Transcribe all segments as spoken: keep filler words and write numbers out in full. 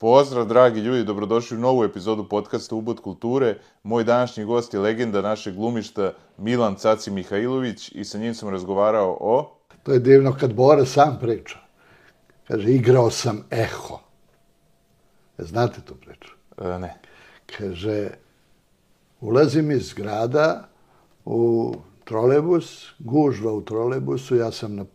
Pozdrav, dragi ljudi, dobrodošli u novu epizodu podcasta Ubod kulture. Moj današnji gost je legenda našeg glumišta Milan Caci Mihajlović i sa njim sam razgovarao o... To je divno kad Bora sam priča. Kaže, igrao sam eho. Znate tu priču? E, ne. Kaže, ulazim iz grada u trolejbus, gužva u trolejbusu, ja sam na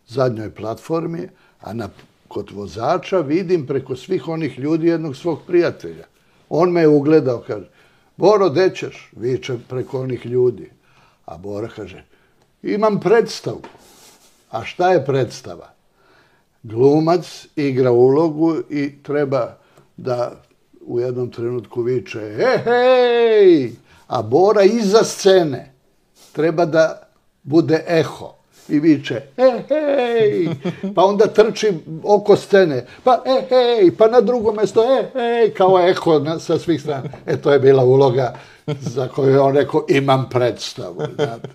zadnjoj platformi, a na, kod vozača vidim preko svih onih ljudi jednog svog prijatelja. On me je ugledao, kaže, Boro, gde ćeš? Viče preko onih ljudi. A Bora kaže, imam predstavu. A šta je predstava? Glumac igra ulogu i treba da u jednom trenutku viče he, hej, a Bora iza scene treba da bude eho i viče he, hej, pa onda trči oko scene, pa he, hej, pa na drugo mesto he, hej, kao eho na, sa svih strana. E, to je bila uloga za koju je on rekao, imam predstavu. Znate.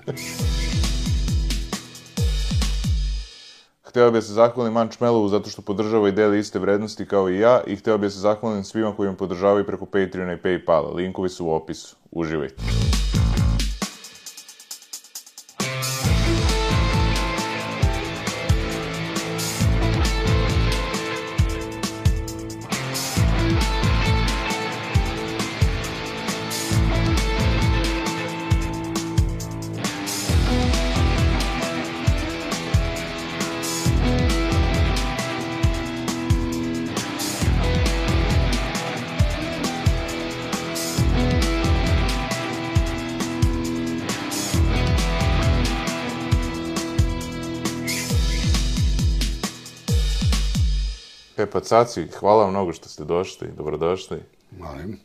Hteo bih se zahvalim Manč Melovu zato što podržava i deli iste vrednosti kao i ja i hteo bih se zahvalim svima koji me podržavaju preko Patreona i Paypala. Linkovi su u opisu. Uživajte. Pepa Caci, hvala vam mnogo što ste došli, dobrodošli. Molim.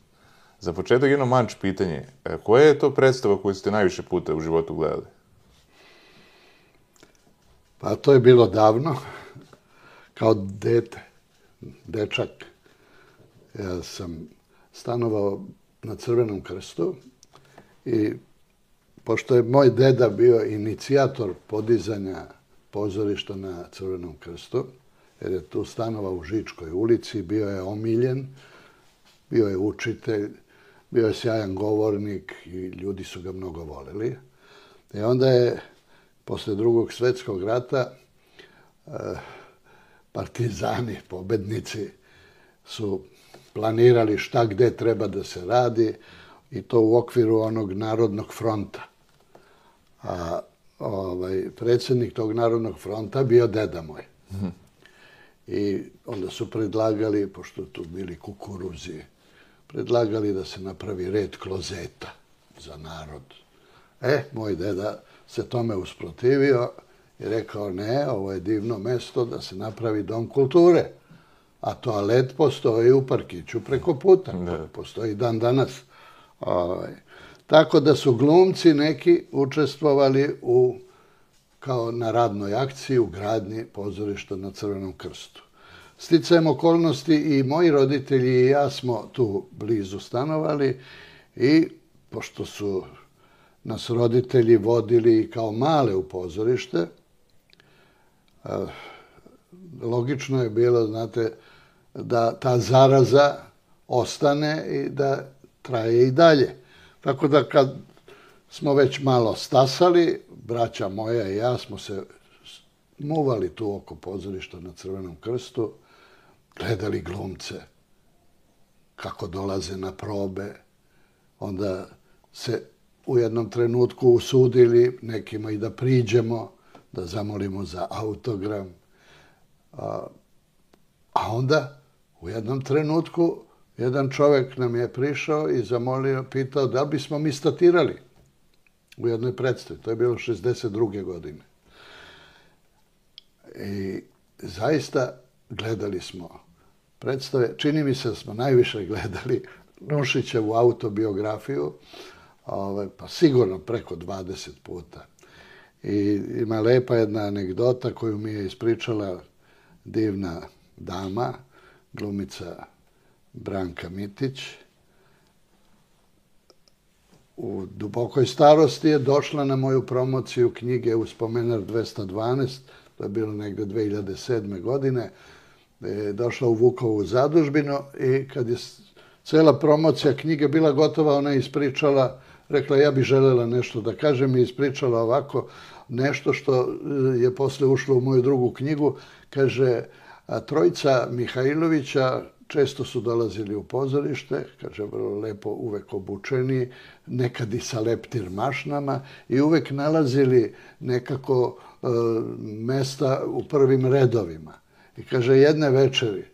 Za početak jedno Manč pitanje. Koja je to predstava koju ste najviše puta u životu gledali? Pa to je bilo davno, kao dete, dečak. Ja sam stanovao na Crvenom krstu i pošto je moj deda bio inicijator podizanja pozorišta na Crvenom krstu, jer je tu stanovao u Žičkoj ulici, bio je omiljen, bio je učitelj, bio je sjajan govornik i ljudi su ga mnogo voleli. I onda je, posle drugog svjetskog rata, partizani, pobednici, su planirali šta gde treba da se radi i to u okviru onog Narodnog fronta. A ovaj, predsjednik tog Narodnog fronta bio deda moj. Mhm. I onda su predlagali, pošto tu bili kukuruzi, predlagali da se napravi red klozeta za narod. E, moj deda se tome usprotivio i rekao, ne, ovo je divno mesto da se napravi dom kulture. A toalet postoji u parkiću preko puta. Ne. Postoji dan danas. Ovaj. Tako da su glumci neki učestvovali u kao na radnoj akciji u gradnji pozorišta na Crvenom krstu. Sticajem okolnosti i moji roditelji i ja smo tu blizu stanovali i pošto su nas roditelji vodili kao male u pozorište, logično je bilo, znate, da ta zaraza ostane i da traje i dalje. Tako da kad smo već malo stasali, braća moja i ja smo se muvali tu oko pozorišta na Crvenom krstu, gledali glumce kako dolaze na probe, onda se u jednom trenutku usudili nekima i da priđemo, da zamolimo za autogram. A, a onda u jednom trenutku jedan čovjek nam je prišao i zamolio, pitao da li bismo mi statirali u jednoj predstavi. To je bilo šezdeset druge godine. I zaista gledali smo predstave. Čini mi se da smo najviše gledali Nušićevu autobiografiju, ovaj, pa sigurno preko dvadeset puta. I ima lepa jedna anegdota koju mi je ispričala divna dama, glumica Branka Mitić. U dubokoj starosti je došla na moju promociju knjige Uspomenar dvesta dvanaest, to je bilo negde dve hiljade sedme godine, je došla u Vukovu zadužbinu i kad je cela promocija knjige bila gotova, ona je ispričala, rekla ja bih želela nešto da kažem i ispričala ovako nešto što je posle ušlo u moju drugu knjigu. Kaže, a trojica Mihajlovića često su dolazili u pozorište, kaže, vrlo lepo, uvek obučeni, nekad i sa leptir mašnama i uvek nalazili nekako e, mesta u prvim redovima. I kaže, jedne večeri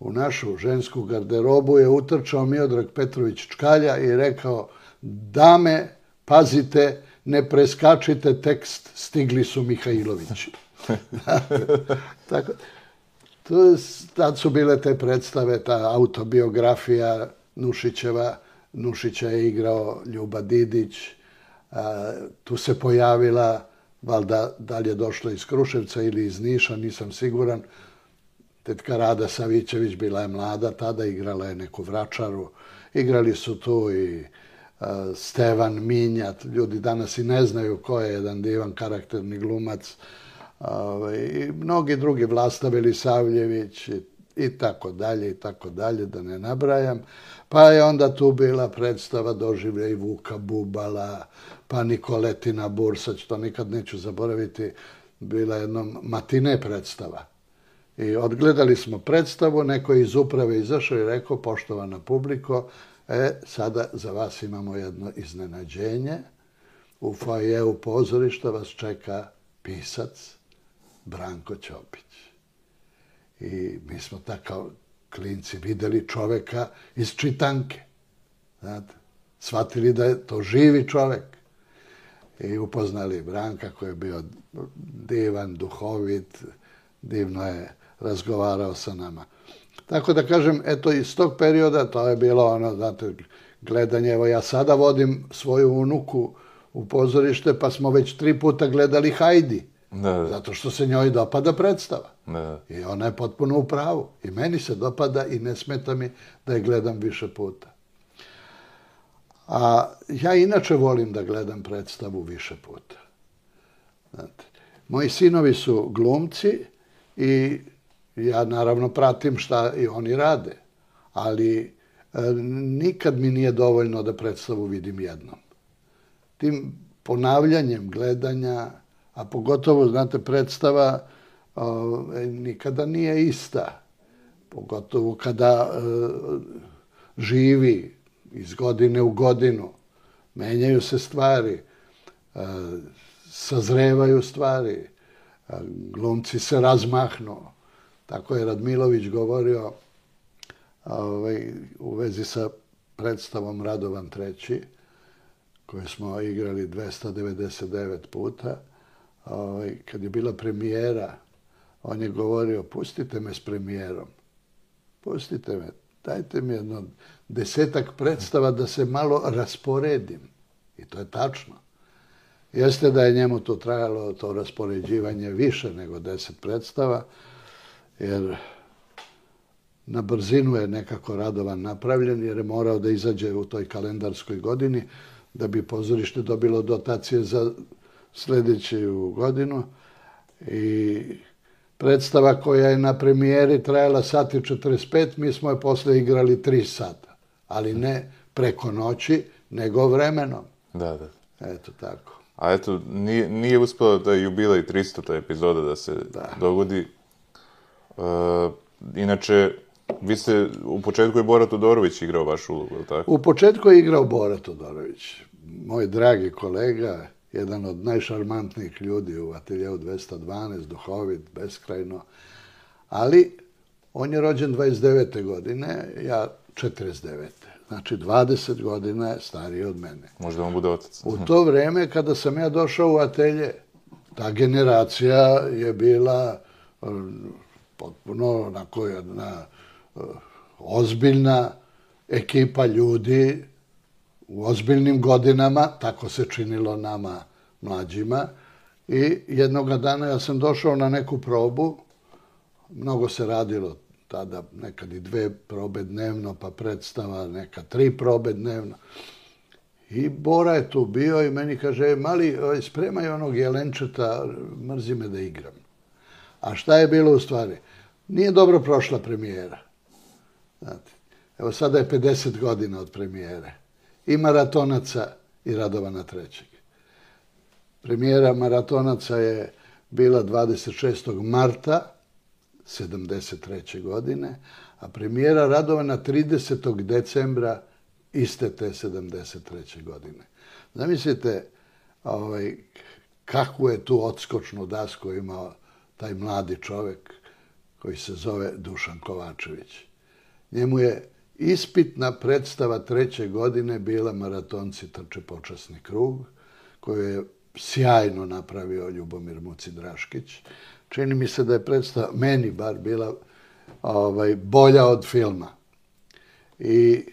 u našu žensku garderobu je utrčao Miodrag Petrović Čkalja i rekao, dame, pazite, ne preskačite tekst, stigli su Mihajlovići. Tako, to, tad su bile te predstave, ta autobiografija Nušićeva. Nušića je igrao Ljuba Didić. A, tu se pojavila, valjda da li je došla iz Kruševca ili iz Niša, nisam siguran, tetka Rada Savićević, bila je mlada, tada igrala je neku vračaru. Igrali su tu i a, Stevan Minjat, ljudi danas i ne znaju ko je, jedan divan karakterni glumac. I mnogi drugi, Vlasta Velisavljević i tako dalje i tako dalje, da ne nabrajam. Pa je onda tu bila predstava Doživljaj Vuka Bubala, pa Nikoletina Bursać, to nikad neću zaboraviti, bila jednom matine predstava. I odgledali smo predstavu, neko je iz uprave izašao i rekao, poštovana publiko, e, sada za vas imamo jedno iznenađenje. U foajeu pozorišta vas čeka pisac Branko Ćopić. I mi smo tako klinci videli čoveka iz čitanke. Znate, shvatili da je to živi čovek. I upoznali Branka koji je bio divan, duhovit, divno je razgovarao sa nama. Tako da kažem, eto iz tog perioda to je bilo ono, znate, gledanje. Evo ja sada vodim svoju unuku u pozorište, pa smo već tri puta gledali Hajdi. Da, da. Zato što se njoj dopada predstava. Da. I ona je potpuno u pravu. I meni se dopada i ne smeta mi da je gledam više puta. A ja inače volim da gledam predstavu više puta. Znate, moji sinovi su glumci i ja naravno pratim šta i oni rade. Ali e, nikad mi nije dovoljno da predstavu vidim jednom. Tim ponavljanjem gledanja, a pogotovo, znate, predstava o, nikada nije ista. Pogotovo kada e, živi iz godine u godinu. Menjaju se stvari, e, sazrevaju stvari, e, glumci se razmahnu. Tako je Radmilović govorio ovaj, u vezi sa predstavom Radovan treći, koju smo igrali dvesta devedeset devet puta. Ovaj, kad je bila premijera, on je govorio, pustite me s premijerom. Pustite me, dajte mi jedno desetak predstava da se malo rasporedim. I to je tačno. Jeste da je njemu to trajalo, to raspoređivanje, više nego deset predstava, jer na brzinu je nekako Radovan napravljen, jer je morao da izađe u toj kalendarskoj godini, da bi pozorište dobilo dotacije za sljedeću godinu. I predstava koja je na premijeri trajala sat i četrdeset pet, mi smo je posle igrali tri sata. Ali ne preko noći, nego vremenom. Da, da. Eto tako. A eto, nije, nije uspela da je jubilej tristota epizoda da se da. dogodi. Uh, inače, vi ste, u početku je Bora Todorović igrao vašu ulogu, je li tako? U početku je igrao Bora Todorović. Moj dragi kolega, jedan od najšarmantnijih ljudi u ateljeu dvesta dvanaest, duhovit, beskrajno. Ali, on je rođen dvadeset devete godine, ja četrdeset devete. Znači, dvadeset godina je stariji od mene. Možda on bude otac. U to vreme, kada sam ja došao u atelje, ta generacija je bila potpuno onako jedna uh, ozbiljna ekipa ljudi u ozbiljnim godinama, tako se činilo nama mlađima. I jednoga dana ja sam došao na neku probu, mnogo se radilo tada, nekad i dve probe dnevno, pa predstava, neka tri probe dnevno. I Bora je tu bio i meni kaže, mali, spremaj onog jelenčeta, mrzi me da igram. A šta je bilo u stvari? nije dobro prošla premijera. Znate, evo sada je pedeset godina od premijere. I Maratonaca i Radovana trećeg. Premijera Maratonaca je bila dvadeset šestog marta sedamdeset treće godine, a premijera Radovana tridesetog decembra iste te sedamdeset treće godine. Zamislite ovaj, kakvu je tu odskočnu dasku imao taj mladi čovjek koji se zove Dušan Kovačević. Njemu je ispitna predstava treće godine bila Maratonci trče počasni krug, koju je sjajno napravio Ljubomir Muci Draškić. Čini mi se da je predstava, meni bar, bila ovaj, bolja od filma. I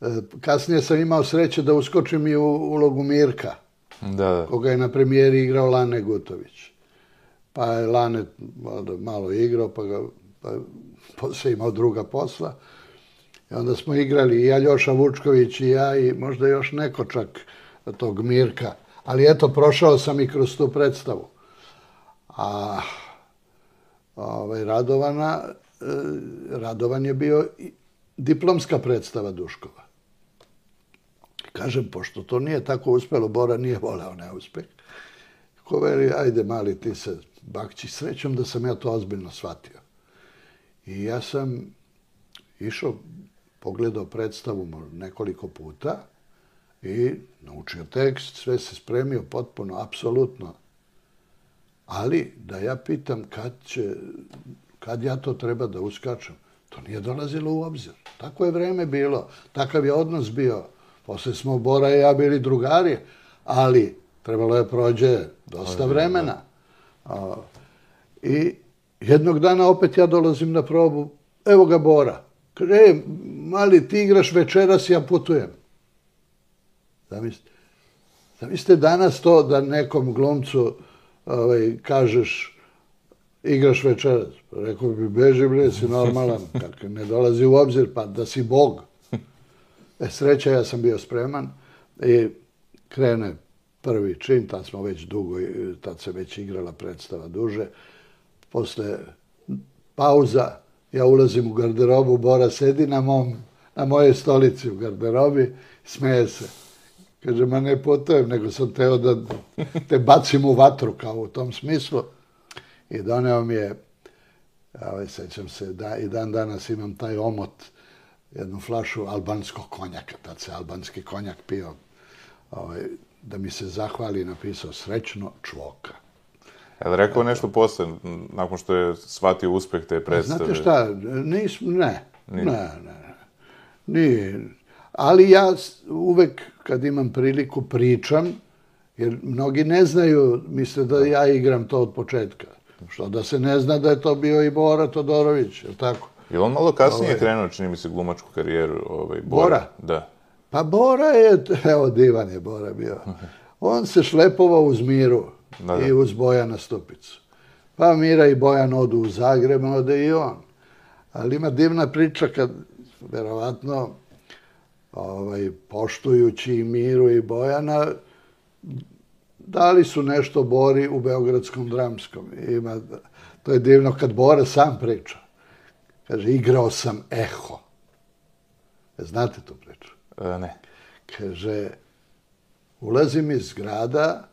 e, kasnije sam imao sreće da uskočim i u ulogu Mirka, da, da. koga je na premijeri igrao Lane Gutović. Pa je Lane malo igrao, pa ga pa, poslije imao druga posla. I onda smo igrali i Aljoša Vučković i ja i možda još neko čak tog Mirka. Ali eto, prošao sam i kroz tu predstavu. A ovaj, Radovana, Radovan je bio diplomska predstava Duškova. Kažem, pošto to nije tako uspelo, Bora nije voleo neuspeh. Ko veli, ajde mali ti se bakći, srećom da sam ja to ozbiljno shvatio. I ja sam išao, pogledao predstavu nekoliko puta i naučio tekst, sve se spremio potpuno, apsolutno. Ali da ja pitam kad će, kad ja to treba da uskačem, to nije dolazilo u obzir. Tako je vreme bilo, takav je odnos bio. Posle smo Bora i ja bili drugari, ali trebalo je prođe dosta vremena. I jednog dana opet ja dolazim na probu, evo ga Bora. Kaže, e, mali, ti igraš večeras, ja putujem. Zamislite, zamislite danas to da nekom glumcu ovaj, kažeš, igraš večeras. Rekao bi, beži bre, si normalan, kako ne dolazi u obzir, pa da si Bog. E, sreća, ja sam bio spreman i krene prvi čin, tad smo već dugo, tad se već igrala predstava duže. Posle pauza, ja ulazim u garderobu, Bora sedi na, mom, na mojej stolici u garderobi, smeje se. Kaže, ma ne putujem, nego sam teo da te bacim u vatru, kao u tom smislu. I doneo mi je, ovaj, sećam se, da i dan danas imam taj omot, jednu flašu albanskog konjaka, tad se albanski konjak pio, ovaj, da mi se zahvali, napisao srećno Čvoka. Je li rekao nešto posle, nakon što je shvatio uspeh te predstave? Znate šta, nis, ne, ne, ne, ne, nije. Ali ja uvek, kad imam priliku, pričam, jer mnogi ne znaju, misle da ja igram to od početka. Što da se ne zna da je to bio i Bora Todorović, je li tako? Je on malo kasnije ovaj, krenuo, čini mi se, glumačku karijeru, ovaj, Bora? Bora? Da. Pa Bora je, evo, divan je Bora bio. On se šlepovao uz Miru da, da. i uz Bojana Stupicu. Pa Mira i Bojan odu u Zagreb, ode i on. Ali ima divna priča kad, verovatno, ovaj, poštujući i Miru i Bojana, dali su nešto Bori u Beogradskom dramskom. Ima, to je divno kad Bora sam priča. Kaže, igrao sam Eho. Znate tu priču? E, ne. Kaže, ulazim iz grada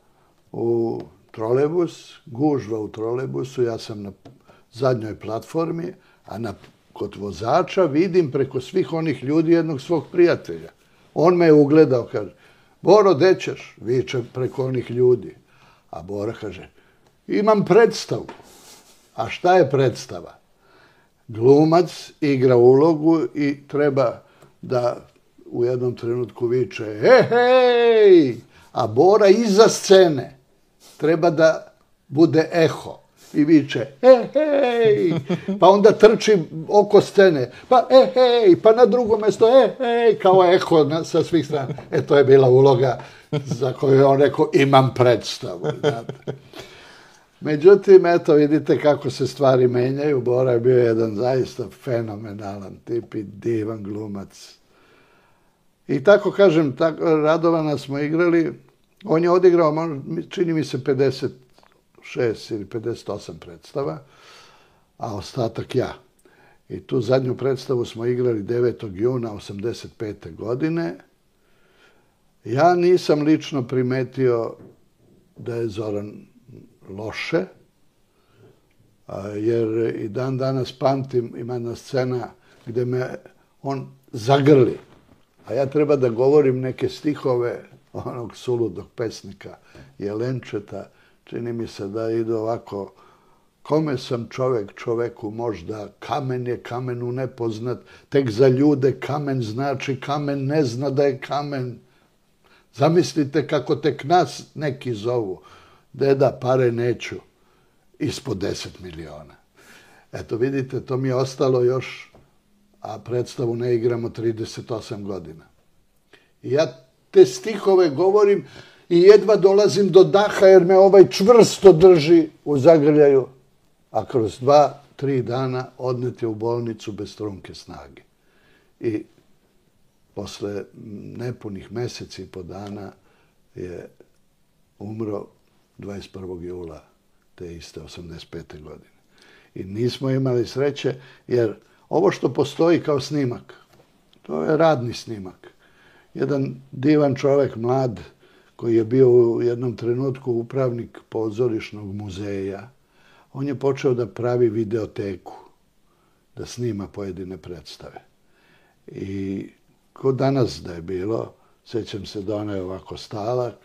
u trolejbus, gužva u trolejbusu, ja sam na zadnjoj platformi, a na, kod vozača vidim preko svih onih ljudi jednog svog prijatelja. On me je ugledao, kaže, Boro, gde ćeš? Viče preko onih ljudi. A Bora kaže, imam predstavu. A šta je predstava? Glumac igra ulogu i treba da u jednom trenutku viče hej, hej, a Bora iza scene treba da bude eho i viče hej, hej, pa onda trči oko scene, pa hej, hej, pa na drugo mjesto hej, hej, kao eho na, sa svih strana. E, to je bila uloga za koju je on rekao, imam predstavu. Znate. Međutim, eto, vidite kako se stvari menjaju. Bora je bio jedan zaista fenomenalan tip i divan glumac. I tako, kažem, tako, Radovana smo igrali. On je odigrao, čini mi se, pedeset šest ili pedeset osam predstava. a ostatak ja. I tu zadnju predstavu smo igrali devetog juna osamdeset pete. godine. Ja nisam lično primetio da je Zoran loše, jer i dan danas pamtim, ima jedna scena gde me on zagrli, a ja treba da govorim neke stihove onog suludog pesnika Jelenčeta, čini mi se da idu ovako: kome sam čovek, čoveku možda, kamen je kamenu nepoznat, tek za ljude kamen znači, kamen ne zna da je kamen. Zamislite kako tek nas neki zovu: deda, pare neću, ispod deset miliona. Eto, vidite, to mi je ostalo još, a predstavu ne igramo trideset osam godina. I ja te stihove govorim i jedva dolazim do daha, jer me ovaj čvrsto drži u zagrljaju, a kroz dva, tri dana odnet je u bolnicu bez trunke snage. I posle nepunih meseci i po dana je umro dvadeset prvog jula te iste osamdeset pete. godine. I nismo imali sreće, jer ovo što postoji kao snimak, to je radni snimak. Jedan divan čovek, mlad, koji je bio u jednom trenutku upravnik pozorišnog muzeja, on je počeo da pravi videoteku, da snima pojedine predstave. I ko danas da je bilo, sećam se da on je ovako stalak,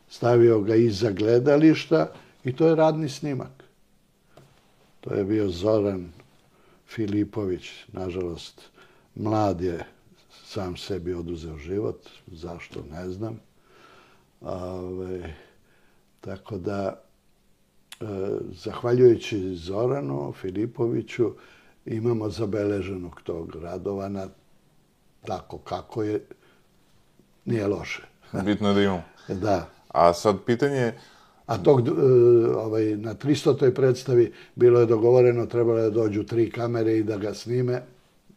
stavio ga iza gledališta i to je radni snimak. To je bio Zoran Filipović, nažalost, mlad je sam sebi oduzeo život, zašto ne znam. Ove, tako da, e, zahvaljujući Zoranu Filipoviću, imamo zabeleženog tog Radovana, tako kako je, nije loše. Bitno je da imamo. Da. A sad pitanje... A tog, ovaj, na tristotoj predstavi bilo je dogovoreno, trebalo je da dođu tri kamere i da ga snime.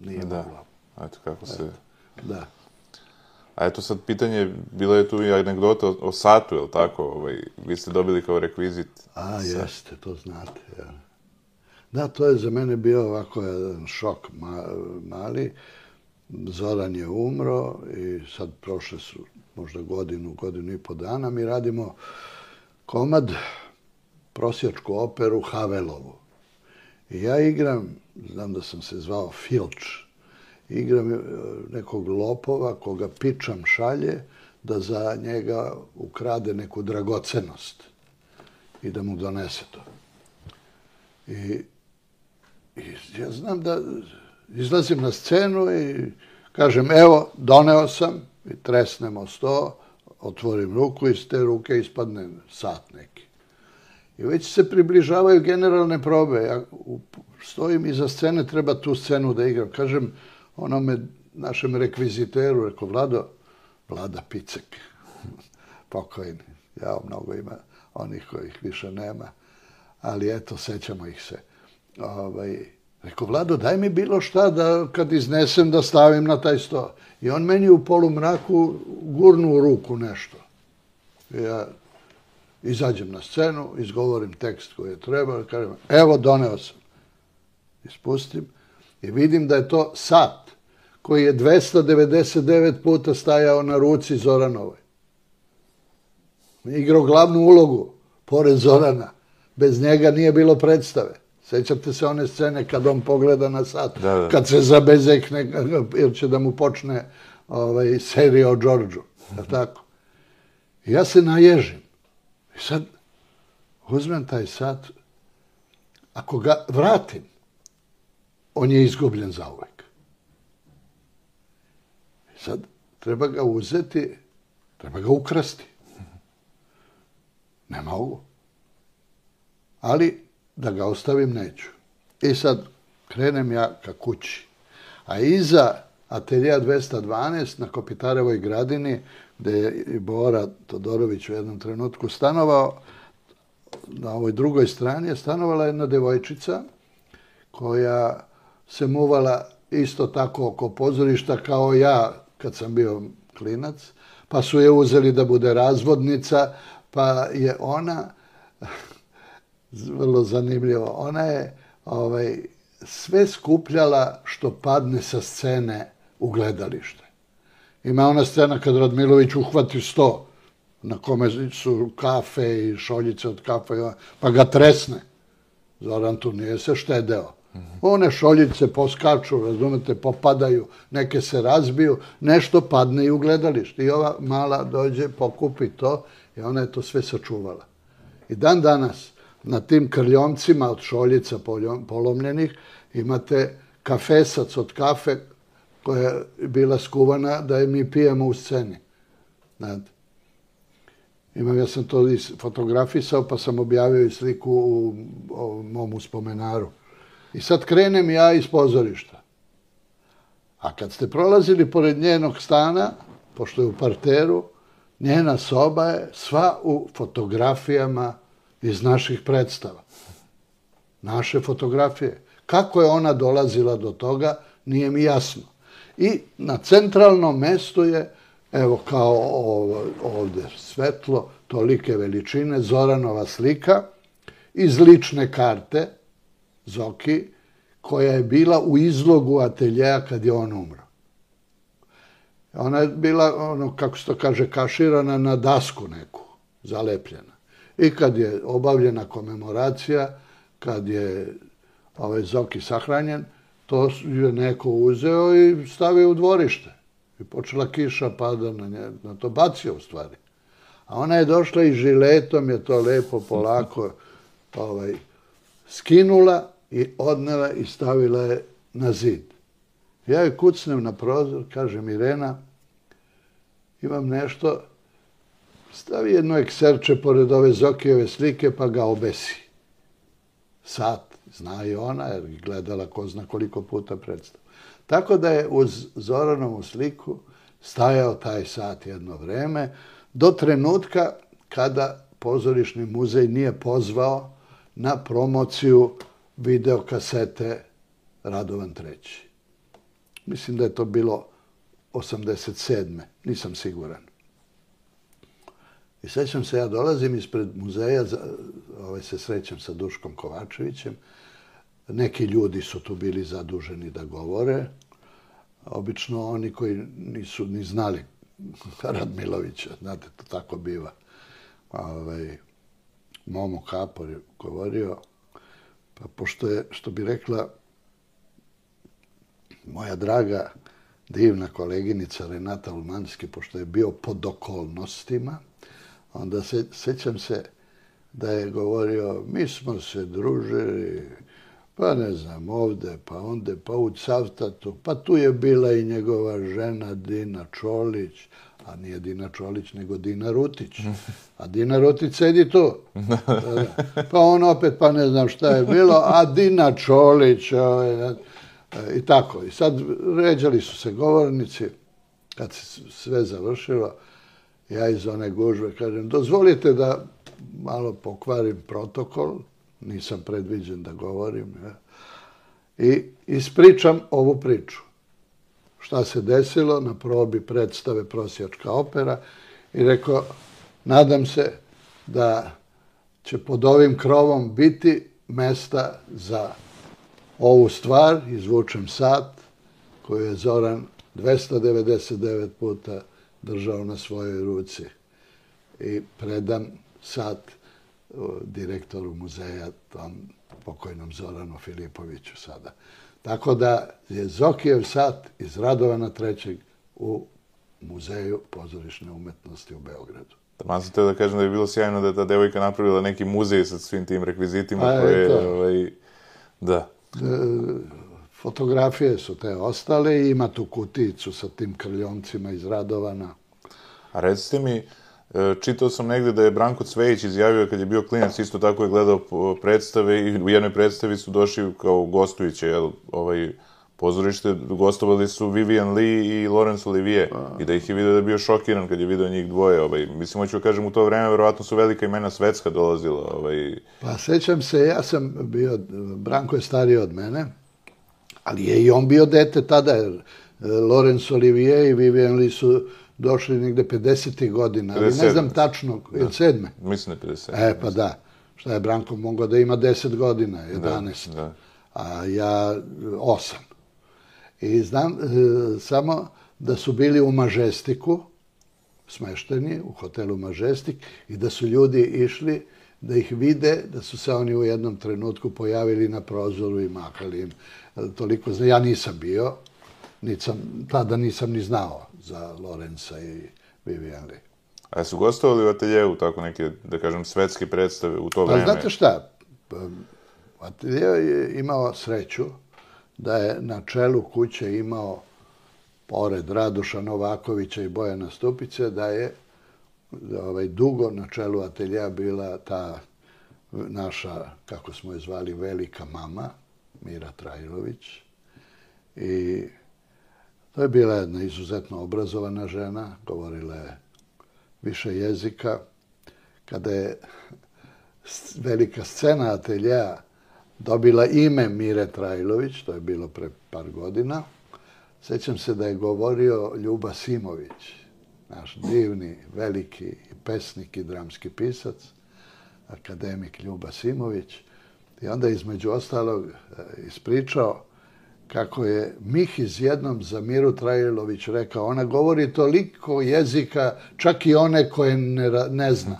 Nije da. moglo. Eto kako se... Eto. Da. A eto sad pitanje, bila je tu i anegdota o, o satu, je li tako? Ovaj, vi ste dobili kao rekvizit. A, jeste, to znate. Ja. Da, to je za mene bio ovako jedan šok ma, mali. Zoran je umro i sad prošle su možda godinu, godinu i po dana. Mi radimo komad, prosjačku operu Havelovu. I ja igram, znam da sam se zvao Filč, igram nekog lopova koga pičam šalje da za njega ukrade neku dragocenost i da mu donese to. I, i ja znam da izlazim na scenu i kažem, evo, doneo sam, i tresnemo sto, otvorim ruku i iz te ruke ispadne sat neki. I već se približavaju generalne probe. Ja stojim iza scene, treba tu scenu da igram. Kažem onome našem rekviziteru, rekao, Vlado, Vlada Picek, pokojni. Ja, mnogo ima onih kojih više nema, ali eto, sećamo ih se. Ovaj, rekao, Vlado, daj mi bilo šta da kad iznesem da stavim na taj sto. I on meni u polumraku gurnu u ruku nešto. I ja izađem na scenu, izgovorim tekst koji je trebao, kažem, evo, doneo sam. Ispustim i vidim da je to sat koji je dvesta devedeset devet puta stajao na ruci Zoranovoj. Igrao glavnu ulogu, pored Zorana. Bez njega nije bilo predstave. Sećate se one scene kad on pogleda na sat, da, da. Kad se zabezekne, jer će da mu počne ovaj, serija o Đorđu. Tako. I ja se naježim. I sad uzmem taj sat, ako ga vratim, on je izgubljen zauvek. I sad treba ga uzeti, treba ga ukrasti. Ne mogu. Ali da ga ostavim neću. I sad krenem ja ka kući. A iza ateljea dvesta dvanaest na Kopitarevoj gradini, gde je i Bora Todorović u jednom trenutku stanovao, na ovoj drugoj strani je stanovala jedna devojčica koja se muvala isto tako oko pozorišta kao ja kad sam bio klinac, pa su je uzeli da bude razvodnica, pa je ona, vrlo zanimljivo, ona je ovaj, sve skupljala što padne sa scene u gledalište. Ima ona scena kad Radmilović uhvati sto na kome su kafe i šoljice od kafe, pa ga tresne. Zoran tu nije se štedeo. One šoljice poskaču, razumete, popadaju, neke se razbiju, nešto padne i u gledalište. I ova mala dođe, pokupi to i ona je to sve sačuvala. I dan danas na tim krljomcima od šoljica polomljenih imate kafesac od kafe koja je bila skuvana da je mi pijemo u sceni. Znate. Imam, ja sam to fotografisao pa sam objavio i sliku u, u mom uspomenaru. I sad krenem ja iz pozorišta. A kad ste prolazili pored njenog stana, pošto je u parteru, njena soba je sva u fotografijama iz naših predstava. Naše fotografije. Kako je ona dolazila do toga, nije mi jasno. I na centralnom mestu je, evo kao ovdje svetlo, tolike veličine, Zoranova slika iz lične karte Zoki, koja je bila u izlogu ateljeja kad je on umro. Ona je bila, ono, kako se to kaže, kaširana na dasku neku, zalepljena. I kad je obavljena komemoracija, kad je ovaj Zoki sahranjen, to je neko uzeo i stavio u dvorište. I počela kiša pada na nje, na to bacio u stvari. A ona je došla i žiletom je to lepo, polako ovaj, skinula i odnela i stavila je na zid. Ja joj kucnem na prozor, kažem Irena, imam nešto, stavi jedno ekserče pored ove Zokijeve slike pa ga obesi. Sat, zna i ona, jer je gledala ko zna koliko puta predstavu. Tako da je uz Zoranovu sliku stajao taj sat jedno vreme, do trenutka kada Pozorišni muzej nije pozvao na promociju videokasete Radovan treći. Mislim da je to bilo osamdeset sedme nisam siguran. I sećam se, ja dolazim ispred muzeja, ovaj, se srećem sa Duškom Kovačevićem, neki ljudi su tu bili zaduženi da govore, obično oni koji nisu ni znali Radmilovića, znate, to tako biva. Ovaj, Momo Kapor je govorio, pa pošto je, što bi rekla moja draga, divna koleginica Renata Ulmanski, pošto je bio pod okolnostima, onda se, sećam se da je govorio, mi smo se družili, pa ne znam, ovde, pa onde, pa u Cavtatu, pa tu je bila i njegova žena Dina Čolić, a nije Dina Čolić, nego Dina Rutić. A Dina Rutić sedi tu. Pa on opet, pa ne znam šta je bilo, a Dina Čolić, ovaj, i tako. I sad ređali su se govornici, kad se sve završilo, ja iz one gužve kažem, dozvolite da malo pokvarim protokol, nisam predviđen da govorim, ja. I ispričam ovu priču. Šta se desilo na probi predstave Prosjačka opera i rekao, nadam se da će pod ovim krovom biti mesta za ovu stvar, izvučem sat koju je Zoran dvesta devedeset devet puta držao na svojoj ruci i predam sat direktoru muzeja, tom pokojnom Zoranu Filipoviću sada. Tako da je Zokijev sat iz Radovana trećeg u Muzeju pozorišne umetnosti u Beogradu. Taman sam teo da kažem da je bilo sjajno da je ta devojka napravila neki muzej sa svim tim rekvizitima A, koje... Ovaj, da. E, fotografije su te ostale i ima tu kutijicu sa tim krljomcima iz Radovana. A recite mi, čitao sam negde da je Branko Cvejić izjavio kad je bio klinac, isto tako je gledao predstave i u jednoj predstavi su došli kao gostujuće, jel, ovaj, pozorište, gostovali su Vivian Lee i Laurence Olivier i da ih je vidio da je bio šokiran kad je vidio njih dvoje. Ovaj. Mislim, hoću da kažem, u to vreme verovatno su velika imena svetska dolazila. Ovaj. Pa sećam se, ja sam bio, Branko je stariji od mene, ali je i on bio dete tada, jer Laurence Olivier i Vivian Lee su došli negde pedesetih godina, ali ne znam tačno, ili sedme? Mislim da je pedeset sedme. E, pa da. Šta je Branko mogao da ima deset godina, jedanaest. Da, da. a ja osam. I znam e, samo da su bili u Mažestiku, smešteni u hotelu Mažestik, i da su ljudi išli da ih vide, da su se oni u jednom trenutku pojavili na prozoru i mahali im. Toliko, ja nisam bio, nisam, tada nisam ni znao za Lorenza i Vivien Leigh. A su gostovali u ateljeu tako neke, da kažem, svetske predstave u to vreme? Pa znate šta, ateljeu je imao sreću da je na čelu kuće imao, pored Radoša Novakovića i Bojana Stupice, da je ovaj, dugo na čelu ateljeja bila ta naša, kako smo je zvali, velika mama, Mira Trajlović. I to je bila jedna izuzetno obrazovana žena, govorila je više jezika. Kada je velika scena ateljeja dobila ime Mire Trajlović, to je bilo pre par godina, sećam se da je govorio Ljuba Simović, naš divni, veliki pesnik i dramski pisac, akademik Ljuba Simović. I onda između ostalog ispričao kako je Mihiz jednom za Miru Trajlović rekao, ona govori toliko jezika, čak i one koje ne, ne zna.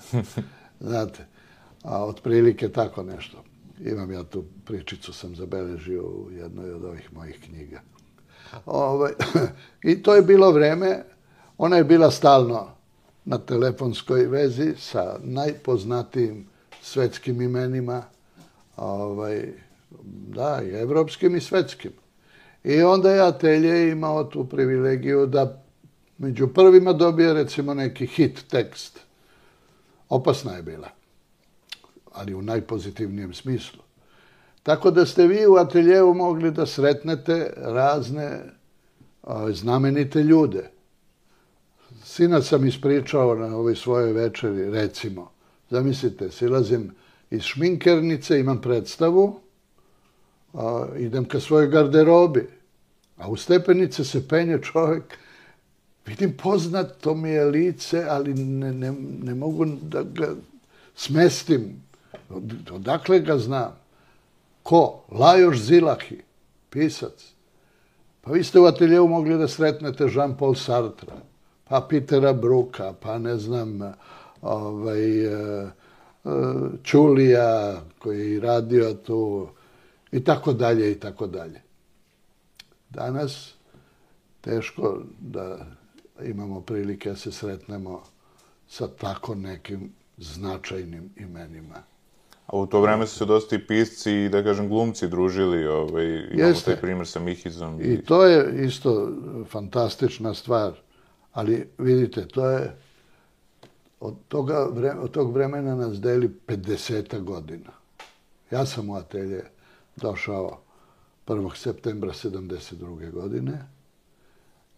Znate, a otprilike tako nešto. Imam ja tu pričicu, sam zabeležio u jednoj od ovih mojih knjiga. Ovaj, i to je bilo vreme, ona je bila stalno na telefonskoj vezi sa najpoznatijim svetskim imenima, ovaj, da, i evropskim i svetskim. I onda je atelje imao tu privilegiju da među prvima dobije recimo neki hit tekst. Opasna je bila, ali u najpozitivnijem smislu. Tako da ste vi u ateljeu mogli da sretnete razne o, znamenite ljude. Sina sam ispričao na ovoj svojoj večeri, recimo, zamislite, silazim iz šminkernice, imam predstavu, a, idem ka svojoj garderobi, a u stepenice se penje čovjek, vidim poznato mi je lice, ali ne, ne, ne mogu da ga smestim. Od, odakle ga znam? Ko? Lajoš Zilahi, pisac. Pa vi ste u ateljeu mogli da sretnete Jean-Paul Sartra, pa Petera Bruka, pa ne znam, ovaj, Čulija koji je radio tu, i tako dalje, i tako dalje. Danas teško da imamo prilike da se sretnemo sa tako nekim značajnim imenima. A u to vreme su se dosta i pisci i, da kažem, glumci družili. Ovaj, imamo Jeste. taj primjer sa Mihizom. I... I to je isto fantastična stvar. Ali vidite, to je od, toga, od tog vremena nas deli pedeset godina. Ja sam u atelje došao prvog septembra sedamdeset druge godine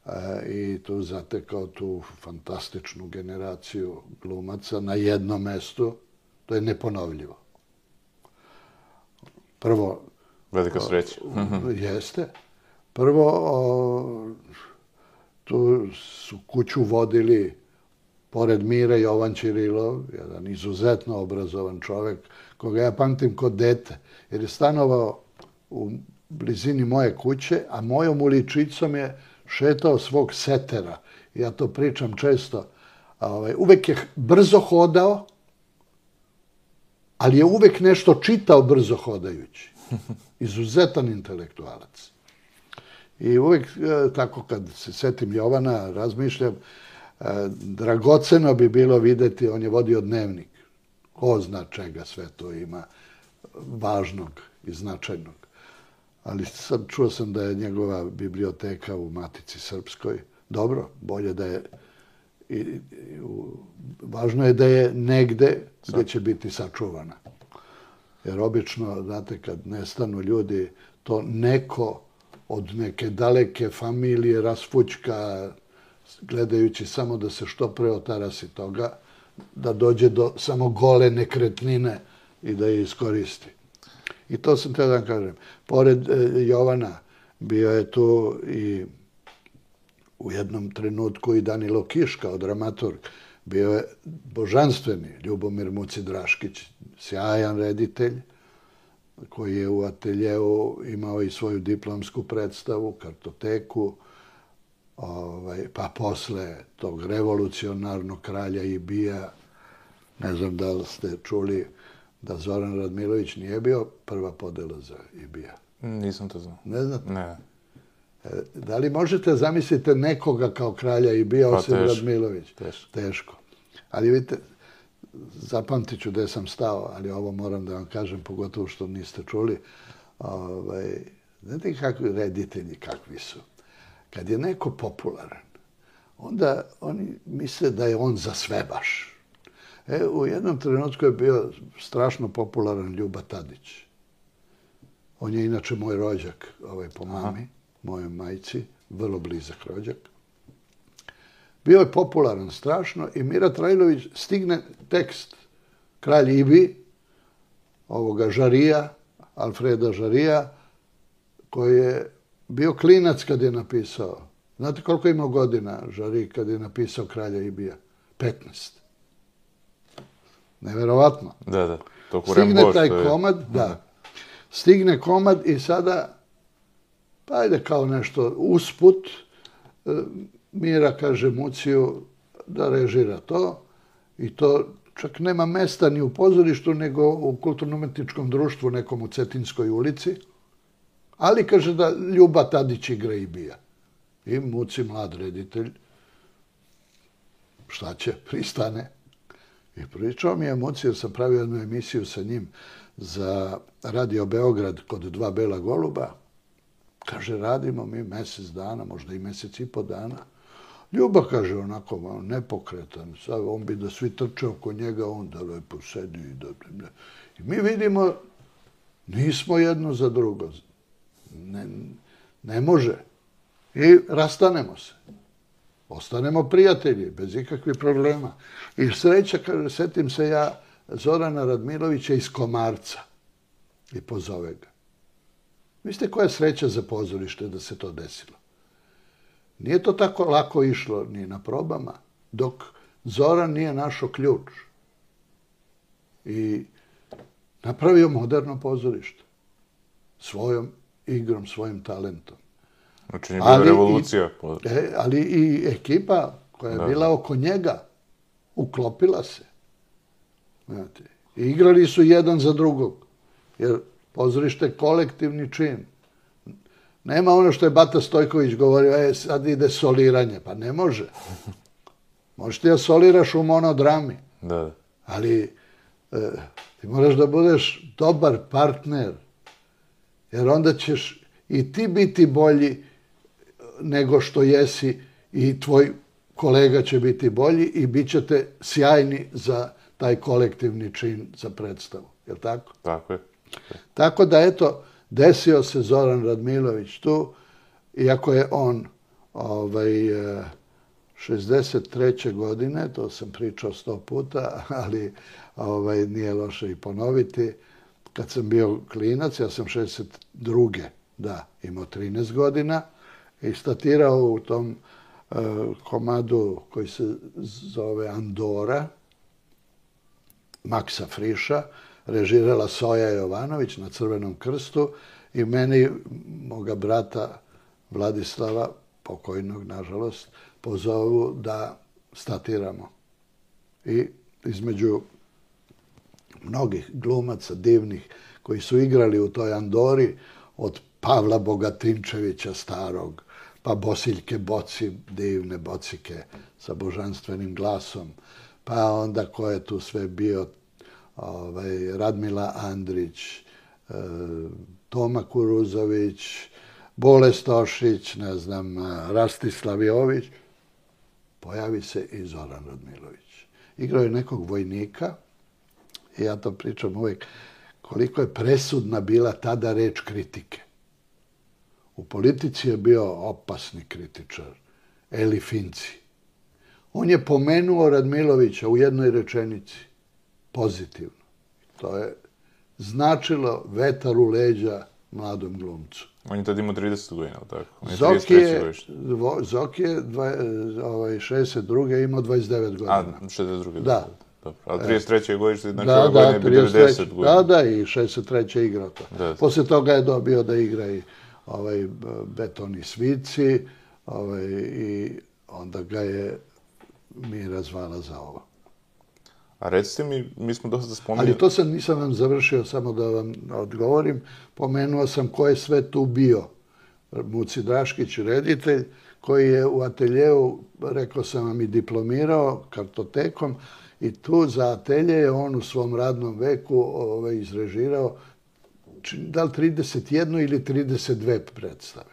e, i tu zatekao tu fantastičnu generaciju glumaca na jednom mestu. To je neponovljivo. Prvo... Velika sreća. O, jeste. Prvo, o, tu su kuću vodili, pored Mire, Jovan Ćirilov, jedan izuzetno obrazovan čovjek, koga ja pamtim kod dete, jer je stanovao u blizini moje kuće, a mojom uličicom je šetao svog setera. Ja to pričam često. Ovaj, uvek je brzo hodao, ali je uvek nešto čitao brzo hodajući. Izuzetan intelektualac. I uvek, tako kad se setim Jovana, razmišljam, dragoceno bi bilo videti, on je vodio dnevnik. Ko zna čega sve to ima važnog i značajnog. Ali sad čuo sam da je njegova biblioteka u Matici Srpskoj. Dobro, bolje da je... I, i, u, važno je da je negde gde će biti sačuvana. Jer obično, znate, kad nestanu ljudi, to neko od neke daleke familije rasfućka, gledajući samo da se što pre otarasi toga, da dođe do samo gole nekretnine i da je iskoristi. I to sam te da kažem. Pored e, Jovana bio je tu i u jednom trenutku i Danilo Kiš kao dramaturg. Bio je božanstveni Ljubomir Muci Draškić, sjajan reditelj. koji je u ateljeu imao i svoju diplomsku predstavu, kartoteku, ovaj, pa posle tog revolucionarnog kralja Ibija, ne znam da li ste čuli da Zoran Radmilović nije bio prva podela za Ibija. Nisam to znao. Ne znate? Ne. Da li možete zamisliti nekoga kao kralja Ibija osim Pa, teško, Radmilović? teško. Teško. Ali vidite, zapamtit ću gde sam stao, ali ovo moram da vam kažem, pogotovo što niste čuli. Ovaj, znate kakvi reditelji, kakvi su? Kad je neko popularan, onda oni misle da je on za sve baš. E, u jednom trenutku je bio strašno popularan Ljuba Tadić. On je inače moj rođak, ovaj, po mami, mojoj majci, vrlo blizak rođak. Bio je popularan strašno i Mira Trajlović stigne tekst Kralj Ibi, ovoga Žarija, Alfreda Žarija, koji je bio klinac kad je napisao. Znate koliko je imao godina Žari kad je napisao Kralja Ibija? petnaest. Neverovatno. Da, da. To Stigne taj komad, da. Stigne komad i sada, pa ajde kao nešto usput, Mira kaže Muciju da režira to i to čak nema mesta ni u pozorištu, nego u kulturno-umetničkom društvu nekom u Cetinskoj ulici. Ali kaže da Ljuba Tadić igra Ibija. I Muci, mlad reditelj, šta će, pristane. I pričao mi je Muci, jer sam pravio jednu emisiju sa njim za Radio Beograd kod dva bela goluba. Kaže, radimo mi mesec dana, možda i mesec i po dana. Ljuba, kaže, onako nepokretan. Sad on bi da svi trče oko njega, on da lepo sedi. I, da, da. I mi vidimo, nismo jedno za drugo. Ne, ne može. I rastanemo se. Ostanemo prijatelji, bez ikakvih problema. I sreća, kaže, setim se ja Zorana Radmilovića iz Komarca. I pozove ga. Mislite koja je sreća za pozorište da se to desilo? Nije to tako lako išlo ni na probama, dok Zoran nije našao ključ. I napravio moderno pozorište. Svojom igrom, svojim talentom. Znači nije bila revolucija. I, e, ali i ekipa koja je da. bila oko njega uklopila se. Znate, i igrali su jedan za drugog. Jer pozorište je kolektivni čin. Nema ono što je Bata Stojković govorio, e, sad ide soliranje. Pa ne može. Možeš ti da soliraš u monodrami. Da. Ali e, ti moraš da budeš dobar partner. Jer onda ćeš i ti biti bolji nego što jesi i tvoj kolega će biti bolji i bit ćete sjajni za taj kolektivni čin za predstavu. Je li tako? Tako je. Tako da, eto, desio se Zoran Radmilović tu, iako je on ovaj, šezdeset treće godine, to sam pričao sto puta, ali ovaj, nije loše i ponoviti, kad sam bio klinac, ja sam šezdeset druge da, imao trinaest godina, i statirao u tom uh, komadu koji se zove Andora, Maksa Friša, režirala Soja Jovanović na Crvenom krstu i meni, moga brata Vladislava, pokojnog, nažalost, pozovu da statiramo. I između mnogih glumaca divnih koji su igrali u toj Andori, od Pavla Bogatinčevića starog, pa Bosiljke Boci, divne Bocike sa božanstvenim glasom, pa onda ko je tu sve bio, ovaj, Radmila Andrić, e, Toma Kuruzović, Bole Stošić, ne znam, Rastislav Jović, pojavi se i Zoran Radmilović. Igrao je nekog vojnika i ja to pričam uvijek, koliko je presudna bila tada reč kritike. U politici je bio opasni kritičar, Eli Finci. On je pomenuo Radmilovića u jednoj rečenici, pozitivno. To je značilo vetar u leđa mladom glumcu. On je tad imao trideset godina, tako? Zoki je, Zoki je ovaj, šezdeset druge imao dvadeset devet godina. A, šezdeset druge Da. Dobro. Ali trideset treće godište, znači da, ove godine bi devedeset godina. Da, da, i šezdeset treće igrao to. Da. Poslije toga je dobio da igra i ovaj, Betoni svici, ovaj, i onda ga je Mira zvala za ovo. A recite mi, mi smo dosta spomenuli... Ali to sam, nisam vam završio, samo da vam odgovorim. Pomenuo sam ko je sve tu bio. Muci Draškić, reditelj, koji je u ateljeu, rekao sam vam, i diplomirao kartotekom, i tu za atelje je on u svom radnom veku ovaj, izrežirao da li trideset jednu ili trideset dve predstave.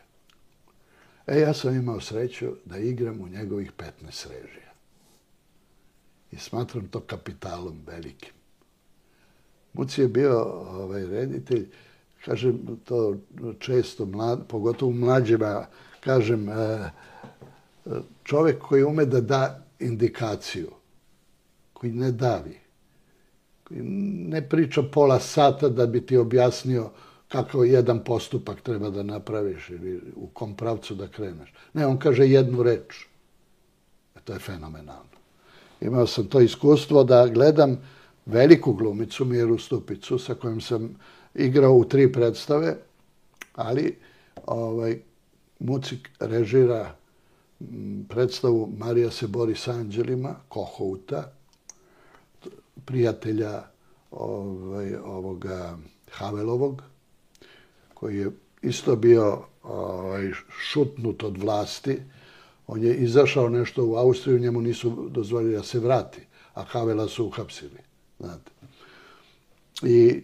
E, ja sam imao sreću da igram u njegovih petnaest režija. I smatram to kapitalom velikim. Muci je bio ovaj, reditelj, kažem to često, mlad, pogotovo mlađima, kažem, čovjek koji ume da da indikaciju, koji ne davi, koji ne priča pola sata da bi ti objasnio kako jedan postupak treba da napraviš ili u kom pravcu da kreneš. Ne, on kaže jednu reč. E, to je fenomenalno. Imao sam to iskustvo da gledam veliku glumicu Miru Stupicu sa kojom sam igrao u tri predstave, ali ovaj, Mucik režira predstavu Marija se bori s anđelima, Kohouta, prijatelja ovaj, ovoga Havelovog, koji je isto bio ovaj, šutnut od vlasti. On je izašao nešto u Austriju, njemu nisu dozvolili da se vrati, a Havela su uhapsili. Znate. I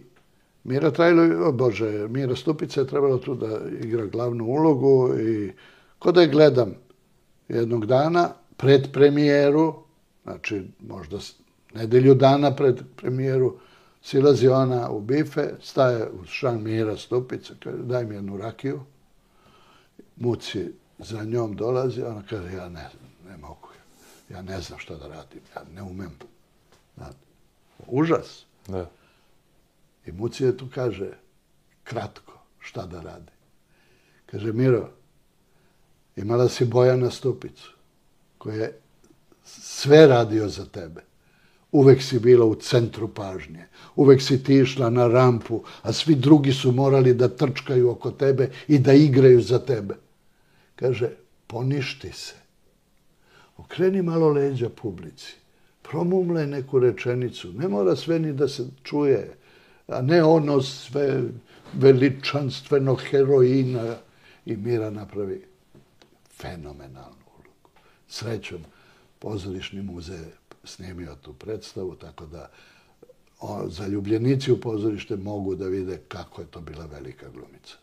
Mira Trajlović, o Bože, Mira Stupica je trebala tu da igra glavnu ulogu i ko da je gledam jednog dana pred premijeru, znači možda nedelju dana pred premijeru, silazi ona u bife, staje u šan Mira Stupica, kaže daj mi jednu rakiju, Muci za njom dolazi, ona kaže ja ne, ne mogu, ja ne znam šta da radim, ja ne umem. Znate. Užas. Da. I Muci je tu kaže, kratko, šta da radi. Kaže, Miro, imala si Bojana Stupicu, koji je sve radio za tebe. Uvek si bila u centru pažnje. Uvek si ti išla na rampu, a svi drugi su morali da trčkaju oko tebe i da igraju za tebe. Kaže, poništi se. Okreni malo leđa publici. Promumlaj neku rečenicu. Ne mora sve ni da se čuje, a ne ono sve veličanstveno heroina. I Mira napravi fenomenalnu ulogu. Srećom, Pozorišni muzej snimio tu predstavu, tako da o, zaljubljenici u pozorište mogu da vide kako je to bila velika glumica.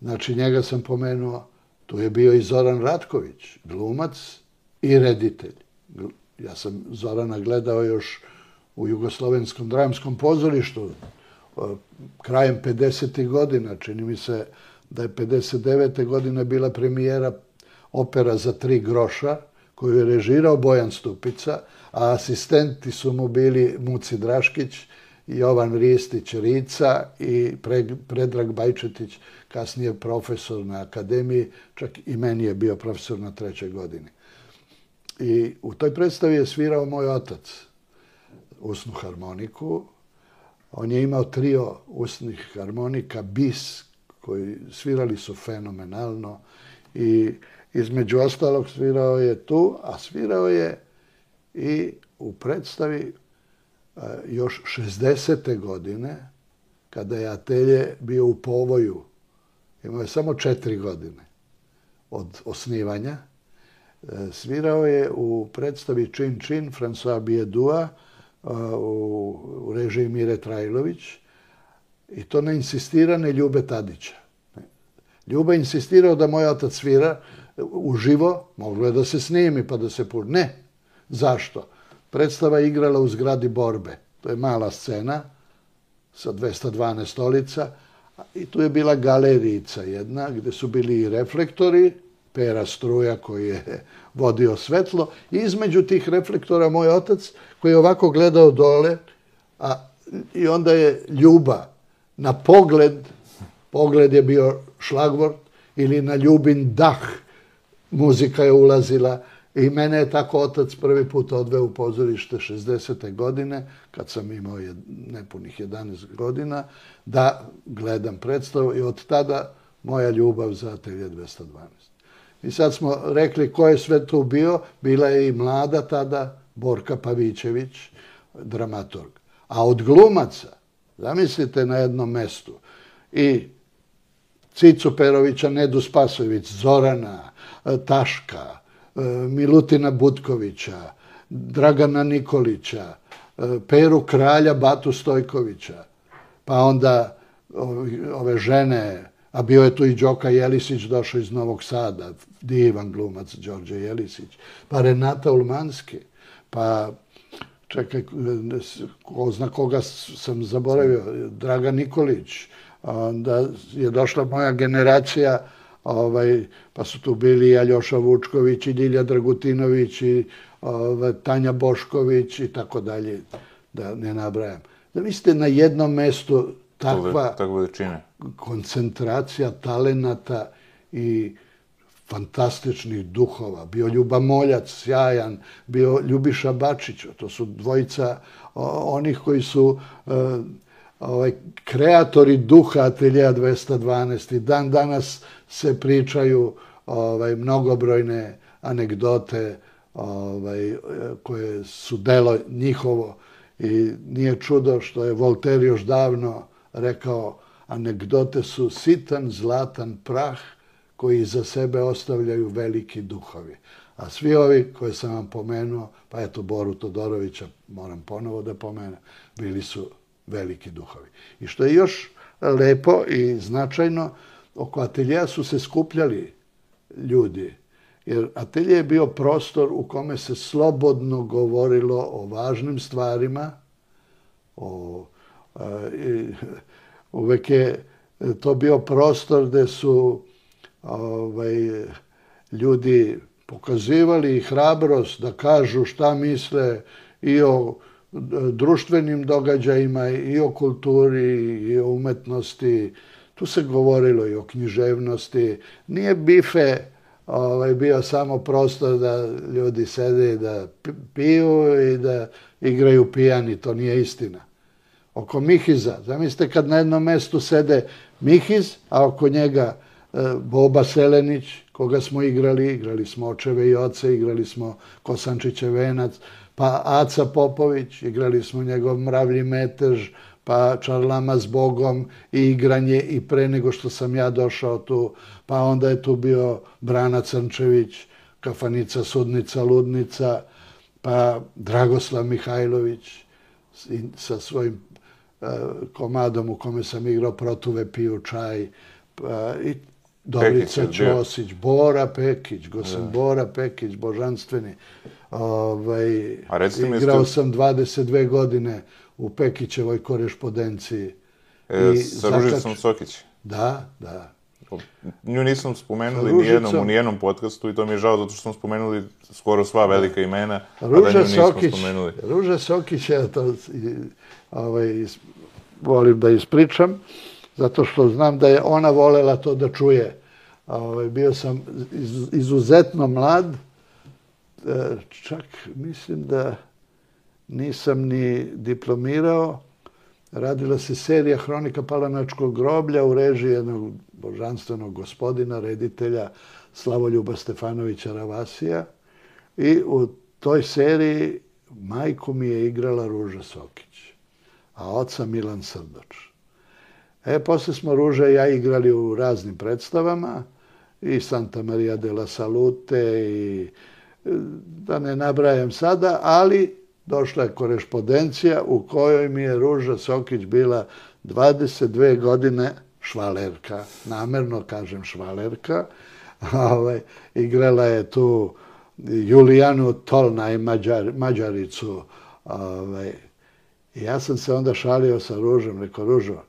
Znači, njega sam pomenuo, tu je bio i Zoran Ratković, glumac i reditelj. Ja sam Zorana gledao još u Jugoslovenskom dramskom pozorištu krajem pedesetih godina. Čini mi se da je pedeset devete godine bila premijera opera za tri groša, koju je režirao Bojan Stupica, a asistenti su mu bili Muci Draškić, Jovan Ristić Rica i Predrag Bajčetić, kasnije profesor na akademiji, čak i meni je bio profesor na trećoj godini. I u toj predstavi je svirao moj otac usnu harmoniku. On je imao trio usnih harmonika, bis, koji svirali su fenomenalno i između ostalog svirao je tu, a svirao je i u predstavi još šezdesete godine, kada je atelje bio u povoju. Imao je samo četiri godine od osnivanja. Svirao je u predstavi Čin Čin François Biedua u režiji Mire Trajlović i to na insistirane Ljube Tadića. Ljuba je insistirao da moj otac svira uživo, moglo je da se snimi pa da se pušta. Ne. Zašto? Predstava je igrala u zgradi Borbe. To je mala scena sa dvesta dvanaest stolica i tu je bila galerijica jedna gde su bili i reflektori, Pera Struja koji je vodio svetlo i između tih reflektora moj otac koji je ovako gledao dole, a i onda je Ljuba na pogled, pogled je bio šlagvort ili na Ljubin dah, muzika je ulazila I mene je tako otac prvi put odveo u pozorište šezdesete godine, kad sam imao nepunih jedanaest godina, da gledam predstavu i od tada moja ljubav za Atelje dvesta dvanaest. I sad smo rekli ko je sve tu bio, bila je i mlada tada Borka Pavićević, dramaturg. A od glumaca, zamislite na jednom mestu, i Cicu Perovića, Nedu Spasojević, Zorana, Taška, Milutina Butkovića, Dragana Nikolića, Peru Kralja, Batu Stojkovića, pa onda ove žene, a bio je tu i Đoka Jelisić, došao iz Novog Sada, divan glumac Đorđe Jelisić, pa Renata Ulmanski, pa čekaj, ko zna koga sam zaboravio, Dragan Nikolić, onda je došla moja generacija, ovaj, pa su tu bili i Aljoša Vučković, i Ljilja Dragutinović, i ovaj, Tanja Bošković, i tako dalje, da ne nabrajam. Da vi ste na jednom mestu takva koncentracija talenata i fantastičnih duhova. Bio Ljuba Moljac, sjajan, bio Ljubiša Bačić, to su dvojica onih koji su ovaj, kreatori duha Ateljeja dvesta dvanaest i dan danas se pričaju ovaj, mnogobrojne anegdote ovaj, koje su delo njihovo i nije čudo što je Voltaire još davno rekao anegdote su sitan, zlatan prah koji za sebe ostavljaju veliki duhovi. A svi ovi koje sam vam pomenuo, pa eto Boru Todorovića moram ponovo da pomenem, bili su veliki duhovi. I što je još lepo i značajno, oko ateljeja su se skupljali ljudi, jer atelje je bio prostor u kome se slobodno govorilo o važnim stvarima, o, i, uvek je to bio prostor gde su ovaj, ljudi pokazivali hrabrost da kažu šta misle i o društvenim događajima, i o kulturi, i o umetnosti. Tu se govorilo i o književnosti. Nije bife ovaj, bio samo prostor da ljudi sede i da piju i da igraju pijani. To nije istina. Oko Mihiza, zamislite kad na jednom mestu sede Mihiz, a oko njega Boba Selenić, koga smo igrali, igrali smo Očeve i oce, igrali smo Kosančićev venac, pa Aca Popović, igrali smo njegov Mravlji metež, pa Čarlama s Bogom i igranje i pre nego što sam ja došao tu, pa onda je tu bio Brana Crnčević, Kafanica, Sudnica, Ludnica, pa Dragoslav Mihajlović sa svojim komadom u kome sam igrao Protuve piju čaj, pa i Dobrica Ćosić, Bora Pekić, Gosan Bora Pekić, božanstveni. Ovaj, igrao sam dvadeset dve godine u Pekićevoj korešpondenciji. E, sa Ružicom Sokić? Da, da. Nju nisam spomenuli nijednom u nijednom podcastu i to mi je žao zato što smo spomenuli skoro sva velika imena, a da nju nismo spomenuli. Ruža Sokić, ja to ovaj, volim da ispričam, zato što znam da je ona volela to da čuje. Ovaj, bio sam iz, izuzetno mlad, čak mislim da nisam ni diplomirao. Radila se serija Hronika Palanačkog groblja u režiji jednog božanstvenog gospodina, reditelja Slavoljuba Stefanovića Ravasija. I u toj seriji majku mi je igrala Ruža Sokić, a oca Milan Srdoč. E, posle smo Ruža i ja igrali u raznim predstavama, i Santa Maria de la Salute, i da ne nabrajam sada, ali došla je korespondencija u kojoj mi je Ruža Sokić bila dvadeset dve godine švalerka, namerno kažem švalerka, ovaj, igrala je tu Julijanu Tolnaj, Mađar, Mađaricu. Ovaj, i ja sam se onda šalio sa Ružom, rekao, Ružo,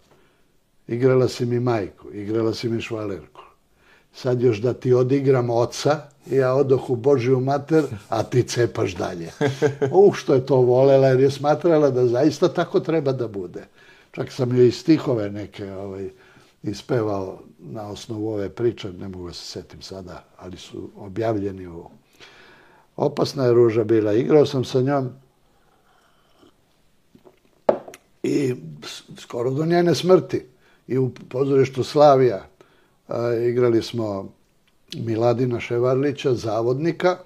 igrala si mi majku, igrala si mi švalerku. Sad još da ti odigram oca, ja odoh u Božiju mater, a ti cepaš dalje. Uh, što je to volela, jer je smatrala da zaista tako treba da bude. Čak sam joj i stihove neke ovaj, ispevao na osnovu ove priče, ne mogu se setim sada, ali su objavljeni u Opasna je Ruža bila. Igrao sam sa njom i skoro do njene smrti. I u pozorištu Slavija a, igrali smo Miladina Ševarlića, zavodnika.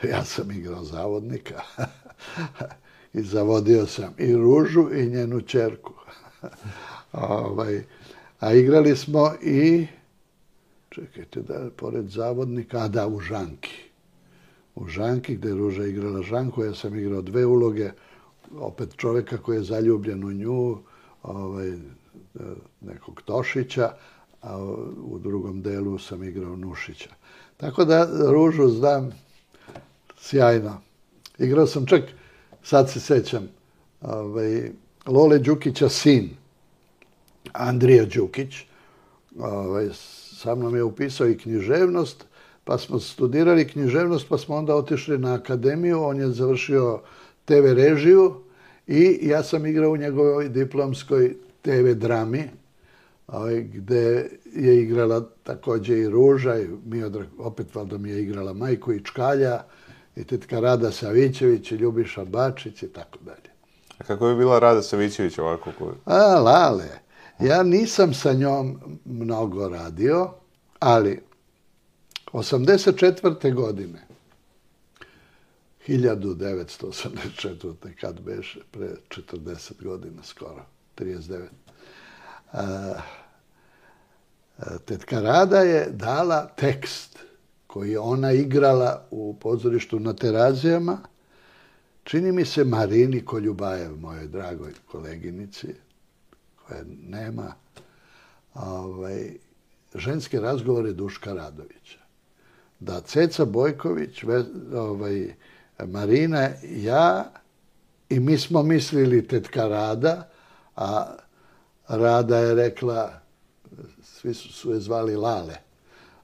Ja sam igrao zavodnika. I zavodio sam i Ružu i njenu ćerku. ovaj, a igrali smo i, čekajte da, pored zavodnika, a da, u Žanki. U Žanki, gde je Ruža igrala Žanku, ja sam igrao dve uloge, opet čoveka koji je zaljubljen u nju, ovaj, nekog Tošića, a u drugom delu sam igrao Nušića. Tako da Ružu znam sjajno. Igrao sam čak, sad se sećam, ovaj, Lole Đukića sin, Andrija Đukić, ovaj, sa mnom je upisao i književnost, pa smo studirali književnost, pa smo onda otišli na akademiju, on je završio te ve režiju i ja sam igrao u njegovoj diplomskoj te ve drami, ovaj, gde je igrala takođe i Ruža, i Miodrag, opet valjda mi je igrala majku i Čkalja, i tetka Rada Savićević, i Ljubiša Bačić i tako dalje. A kako je bila Rada Savićević ovako? Koju... A, Lale. Ja nisam sa njom mnogo radio, ali osamdeset četvrte godine, hiljadu devetsto osamdeset četvrte kad beše, pre četrdeset godina skoro, trideset devet. A, tetka Rada je dala tekst koji je ona igrala u pozorištu na Terazijama, čini mi se Marini Koljubajev, mojoj dragoj koleginici, koje nema, ovaj, ženske razgovore Duška Radovića. Da Ceca Bojković, ovaj, Marina, ja i mi smo mislili tetka Rada, a Rada je rekla, svi su, su je zvali Lale,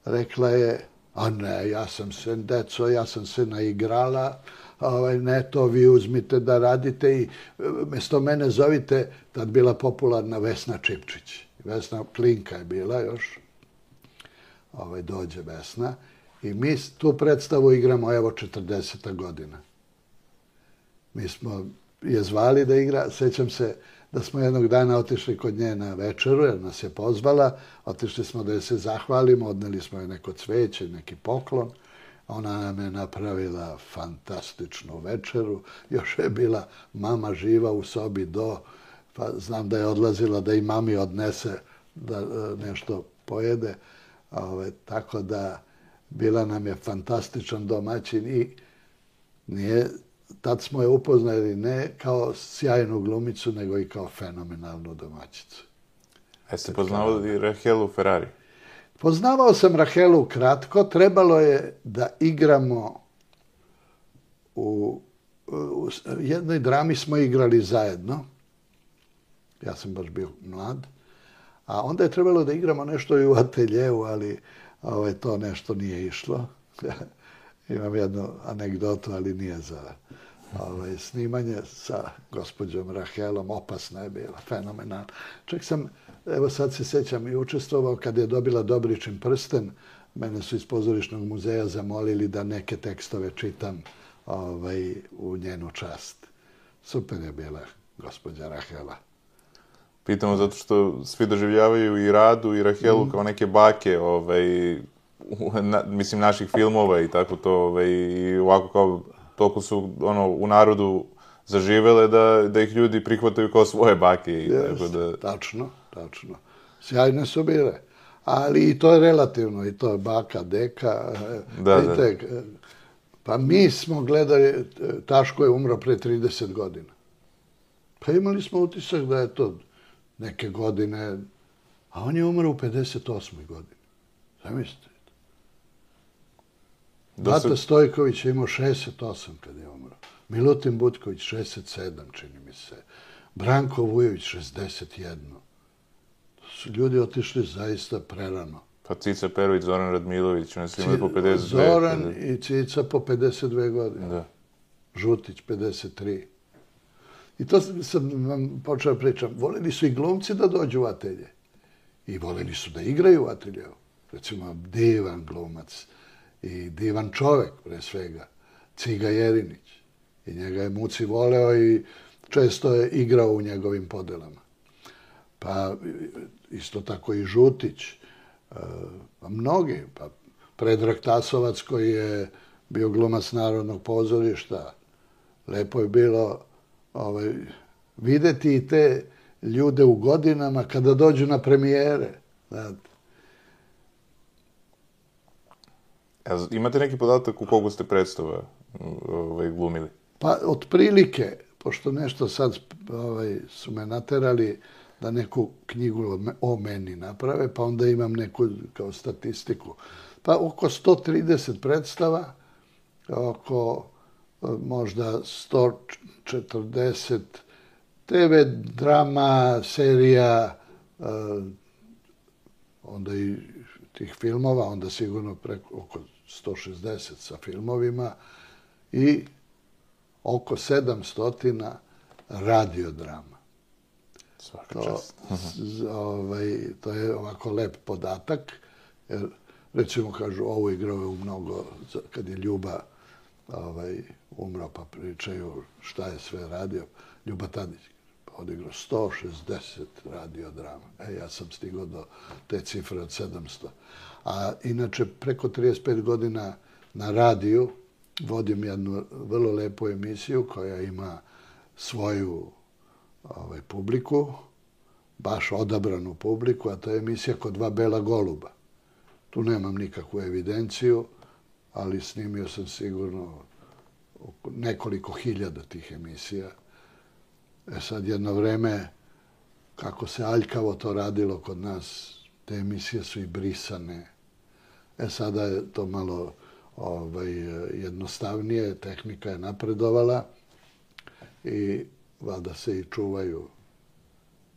rekla je, a ne, ja sam se, deco, ja sam se naigrala, ovaj, ne, to vi uzmite da radite i mjesto mene zovite, tad bila popularna Vesna Čipčić. Vesna Klinka je bila još, ovaj, dođe Vesna, i mi tu predstavu igramo, evo, četrdeseta godina. Mi smo je zvali da igra, sećam se da smo jednog dana otišli kod nje na večeru, jer nas je pozvala, otišli smo da je se zahvalimo, odneli smo je neko cveće, neki poklon, ona nam je napravila fantastičnu večeru, još je bila mama živa u sobi do, pa znam da je odlazila da i mami odnese da nešto pojede, ove, tako da bila nam je fantastičan domaćin i nije, tad smo je upoznali ne kao sjajnu glumicu, nego i kao fenomenalnu domaćicu. A jeste poznavali Rahelu Ferrari? Poznavao sam Rahelu kratko, trebalo je da igramo u, u jednoj drami smo igrali zajedno. Ja sam baš bio mlad. A onda je trebalo da igramo nešto i u ateljeu, ali ovaj, to nešto nije išlo. Imam jednu anegdotu, ali nije za ovaj, snimanje sa gospođom Rahelom. Opasna je bila, fenomenalna. Čak sam, evo sad se sjećam, i učestvovao kad je dobila Dobričin prsten. Mene su iz pozorišnog muzeja zamolili da neke tekstove čitam ovaj, u njenu čast. Super je bila gospođa Rahela. Pitamo zato što svi doživljavaju i Radu i Rahelu mm. kao neke bake, ovaj, na, mislim, naših filmova i tako to, ovaj, i ovako kao, toliko su, ono, u narodu zaživele da, da ih ljudi prihvataju kao svoje bake. I yes, tako da... Tačno, tačno. Sjajne su bile. Ali i to je relativno, i to je baka, deka. Da, vidite, da. Pa mi smo gledali, Taško je umro pre trideset godina. Pa imali smo utisak da je to neke godine, a on je umro u pedeset osmoj godini. Zamislite. Bata se... Stojković je imao šezdeset osam kad je umro. Milutin Butković šezdeset sedam, čini mi se. Branko Vujović šezdeset jedan. To su ljudi otišli zaista prerano. Pa Cica Perović, Zoran Radmilović, oni su imali po pedeset dve. Zoran pedeset... i Cica po pedeset dve godine. Da. Žutić pedeset tri. I to sam vam počeo pričam. Voleli su i glumci da dođu u atelje. I voleli su da igraju u ateljeu. Recimo, divan glumac i divan čovek, pre svega, Ciga Jerinić. I njega je Muci voleo i često je igrao u njegovim podelama. Pa isto tako i Žutić, pa mnogi, pa Predrag Tasovac koji je bio glumac Narodnog pozorišta. Lepo je bilo ovaj, videti i te ljude u godinama kada dođu na premijere. Znate. Imate neki podatak u koliko ste predstava ovaj, glumili? Pa, otprilike, pošto nešto sad ovaj, su me naterali da neku knjigu o meni naprave, pa onda imam neku kao statistiku. Pa oko sto trideset predstava, oko možda sto četrdeset te ve drama, serija, onda i tih filmova, onda sigurno preko oko sto šezdeset sa filmovima i oko sedamsto radiodrama. Svaka čast. Ovaj, to je ovako lep podatak, jer recimo kažu, ovo igrao je u mnogo, kad je Ljuba ovaj, umro, pa pričaju šta je sve radio. Ljuba Tadić odigrao sto šezdeset radiodrama. E, ja sam stigao do te cifre od sedamsto. A inače, preko trideset pet godina na radiju vodim jednu vrlo lepu emisiju koja ima svoju ovaj, publiku, baš odabranu publiku, a to je emisija Kod dva bela goluba. Tu nemam nikakvu evidenciju, ali snimio sam sigurno nekoliko hiljada tih emisija. E sad, jedno vreme, kako se aljkavo to radilo kod nas, te emisije su i brisane. E sada je to malo ovaj, jednostavnije, tehnika je napredovala i valjda se i čuvaju.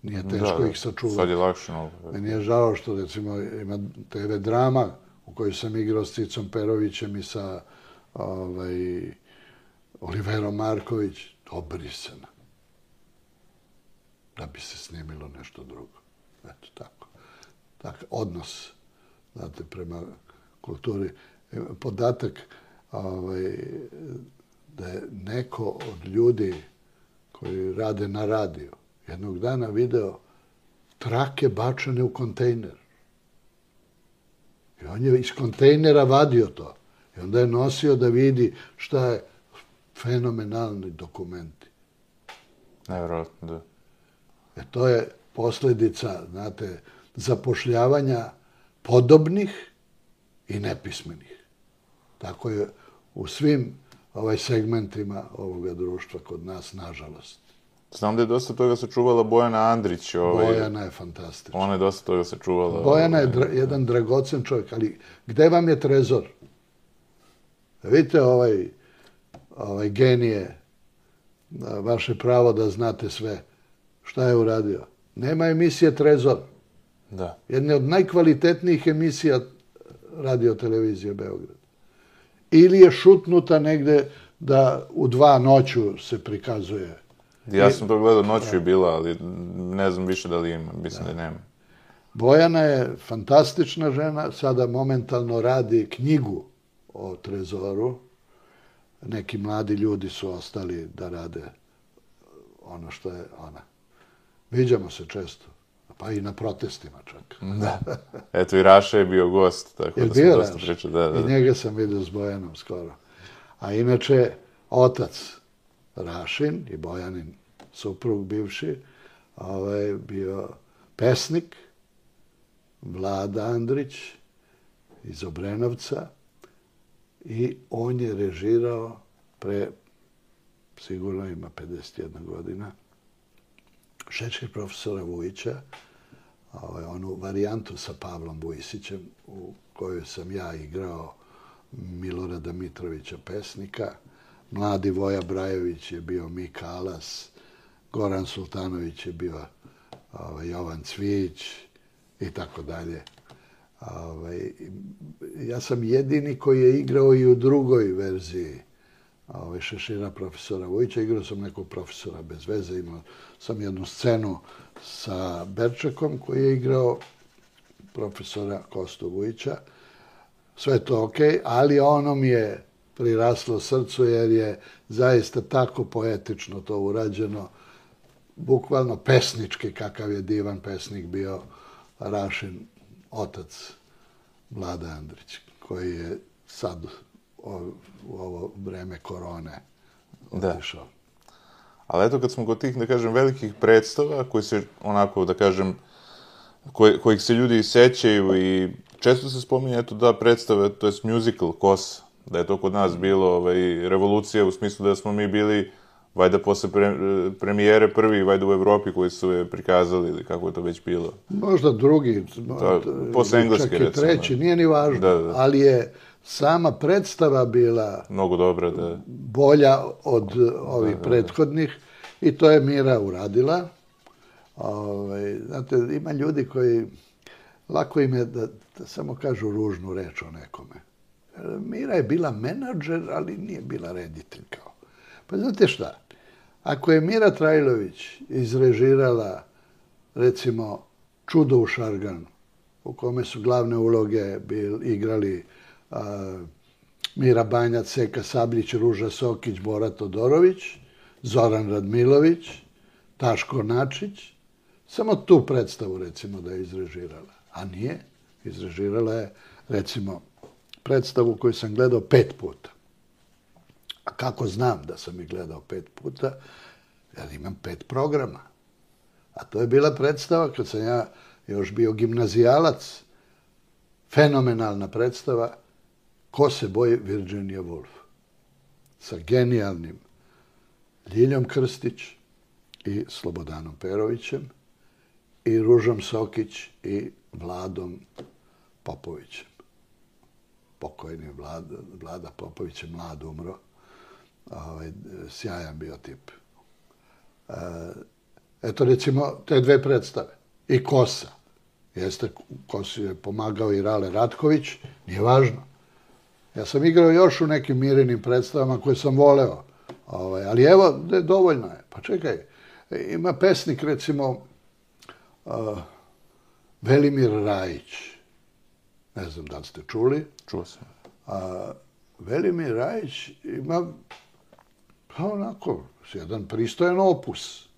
Nije teško da, ih sačuvati. Sad je lakše. No. Meni je žao što, recimo, ima te ve drama u kojoj sam igrao s Cicom Perovićem i sa ovaj, Oliverom Marković, obrisana. Da bi se snimilo nešto drugo. Eto, tako. Tak, odnos, znate, prema kulturi. Podatak ovaj, da je neko od ljudi koji rade na radiju jednog dana video trake bačene u kontejner. I on je iz kontejnera vadio to. I onda je nosio da vidi šta je fenomenalni dokumenti. Nevjerojatno, da. E to je posljedica, znate, zapošljavanja podobnih i nepismenih. Tako je u svim ovaj segmentima ovoga društva kod nas, nažalost. Znam da je dosta toga sačuvala Bojana Andrić. Ovaj, Bojana je fantastična. Ona je dosta toga sačuvala. Bojana je dra, jedan dragocen čovjek, ali gde vam je trezor? Vidite ovaj, ovaj genije, vaše pravo da znate sve. Šta je uradio? Nema emisije Trezor. Da. Jedna od najkvalitetnijih emisija radio televizije Beograd. Ili je šutnuta negde da u dva noću se prikazuje. Ja sam to gledao, noću je bila, ali ne znam više da li ima. Mislim da, da nema. Bojana je fantastična žena. Sada momentalno radi knjigu o Trezoru. Neki mladi ljudi su ostali da rade ono što je ona. Viđamo se često. Pa i na protestima čak. Da. Eto, i Raša je bio gost, tako je da smo dosta pričali. Da, da. I njega sam vidio s Bojanom skoro. A inače, otac Rašin i Bojanin suprug bivši, ovaj, bio pesnik, Vlada Andrić iz Obrenovca, i on je režirao pre, sigurno ima pedeset jedna godina, Šečkih profesora Vujića, ovaj, onu varijantu sa Pavlom Vujisićem, u kojoj sam ja igrao Milorada Mitrovića pesnika. Mladi Voja Brajević je bio Mika Alas, Goran Sultanović je bio ovaj, Jovan Cvijić i tako dalje. Ovaj, ja sam jedini koji je igrao i u drugoj verziji ovaj, Šešira profesora Vujića. Igrao sam nekog profesora bez veze. Imao sam jednu scenu sa Berčekom koji je igrao profesora Kostu Vujića. sve to okej, ali ono mi je priraslo srcu jer je zaista tako poetično to urađeno, bukvalno pesnički, kakav je divan pesnik bio Rašin otac Vlada Andrić, koji je sad u ovo vreme korone otišao. Da. Ali eto, kad smo kod tih, da kažem, velikih predstava, koji se, onako, da kažem, koj, kojih se ljudi sećaju i često se spominje, eto, da predstave, to jest musical, Kosa, da je to kod nas bilo ovaj, revolucija u smislu da smo mi bili, vajda posle pre, premijere prvi, vajda u Evropi koji su je prikazali, ili kako je to već bilo. Možda drugi, to, posle engleske, čak i treći, recimo. Nije ni važno, da, da. Ali je sama predstava bila mnogo dobra, da. Bolja od ovih da, da, prethodnih i to je Mira uradila. Ove, znate, ima ljudi koji, lako im je da, da samo kažu ružnu reč o nekome. Mira je bila menadžer, ali nije bila reditelj kao. Pa znate šta, ako je Mira Trajlović izrežirala, recimo, Čudo u Šarganu, u kome su glavne uloge bil, igrali a, Mira Banjac, Seka Sabljić, Ruža Sokić, Bora Todorović, Zoran Radmilović, Taško Načić, samo tu predstavu, recimo, da je izrežirala. A nije, izrežirala je, recimo, predstavu koju sam gledao pet puta. A kako znam da sam ih gledao pet puta? Jer imam pet programa. A to je bila predstava kad sam ja još bio gimnazijalac. Fenomenalna predstava Ko se boji Virginia Woolf. Sa genijalnim Ljiljom Krstić i Slobodanom Perovićem i Ružom Sokić i Vladom Popovićem. Pokojni Vlada, Vlada Popović je mlad umro. Ovaj, sjajan bio tip. E, eto, recimo, te dve predstave. I Kosa. Jeste, Kosi je pomagao i Rale Ratković. Nije važno. Ja sam igrao još u nekim Mirinim predstavama koje sam voleo. Ovaj, ali evo, de, dovoljno je. Pa čekaj, ima pesnik, recimo, uh, Velimir Rajić. Ne znam da li ste čuli. Čuo sam. A, Velimir Rajić ima, pa onako, jedan pristojan opus.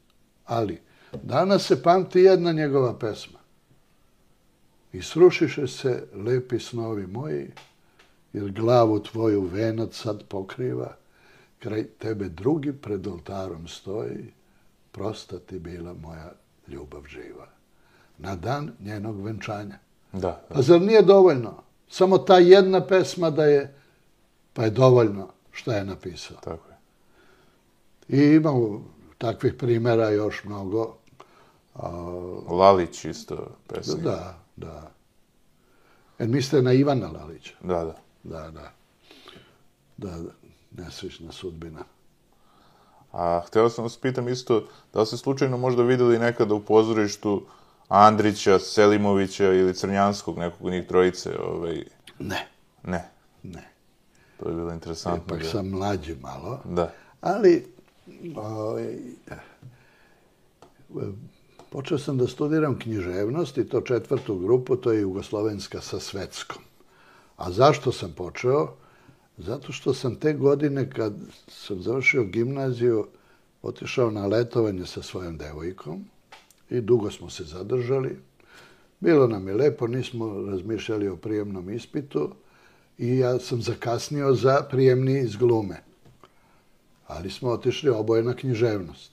Ali, danas se pamti jedna njegova pesma. I srušiše se lepi snovi moji, jer glavu tvoju venac sad pokriva, kraj tebe drugi pred oltarom stoji, prosta ti bila moja ljubav živa. Na dan njenog venčanja. Da, da. Pa zar nije dovoljno? Samo ta jedna pesma da je, pa je dovoljno šta je napisao. Tako je. I imamo takvih primjera još mnogo. Lalić isto pesnik. Da, da. Jer mislite na Ivana Lalića? Da, da. Da, da. Da, nesrećna sudbina. A htio sam vas pitam isto, da li ste slučajno možda vidjeli nekada u pozorištu Andrića, Selimovića ili Crnjanskog, nekog od njih trojice? Ovaj... Ne. Ne? Ne. To je bilo interesantno. Ipak sam mlađi malo. Da. Ali, ovaj, počeo sam da studiram književnost i to četvrtu grupu, to je jugoslovenska sa svetskom. A zašto sam počeo? Zato što sam te godine, kad sam završio gimnaziju, otišao na letovanje sa svojom devojkom i dugo smo se zadržali. Bilo nam je lepo, nismo razmišljali o prijemnom ispitu i ja sam zakasnio za prijemni iz glume. Ali smo otišli oboje na književnost.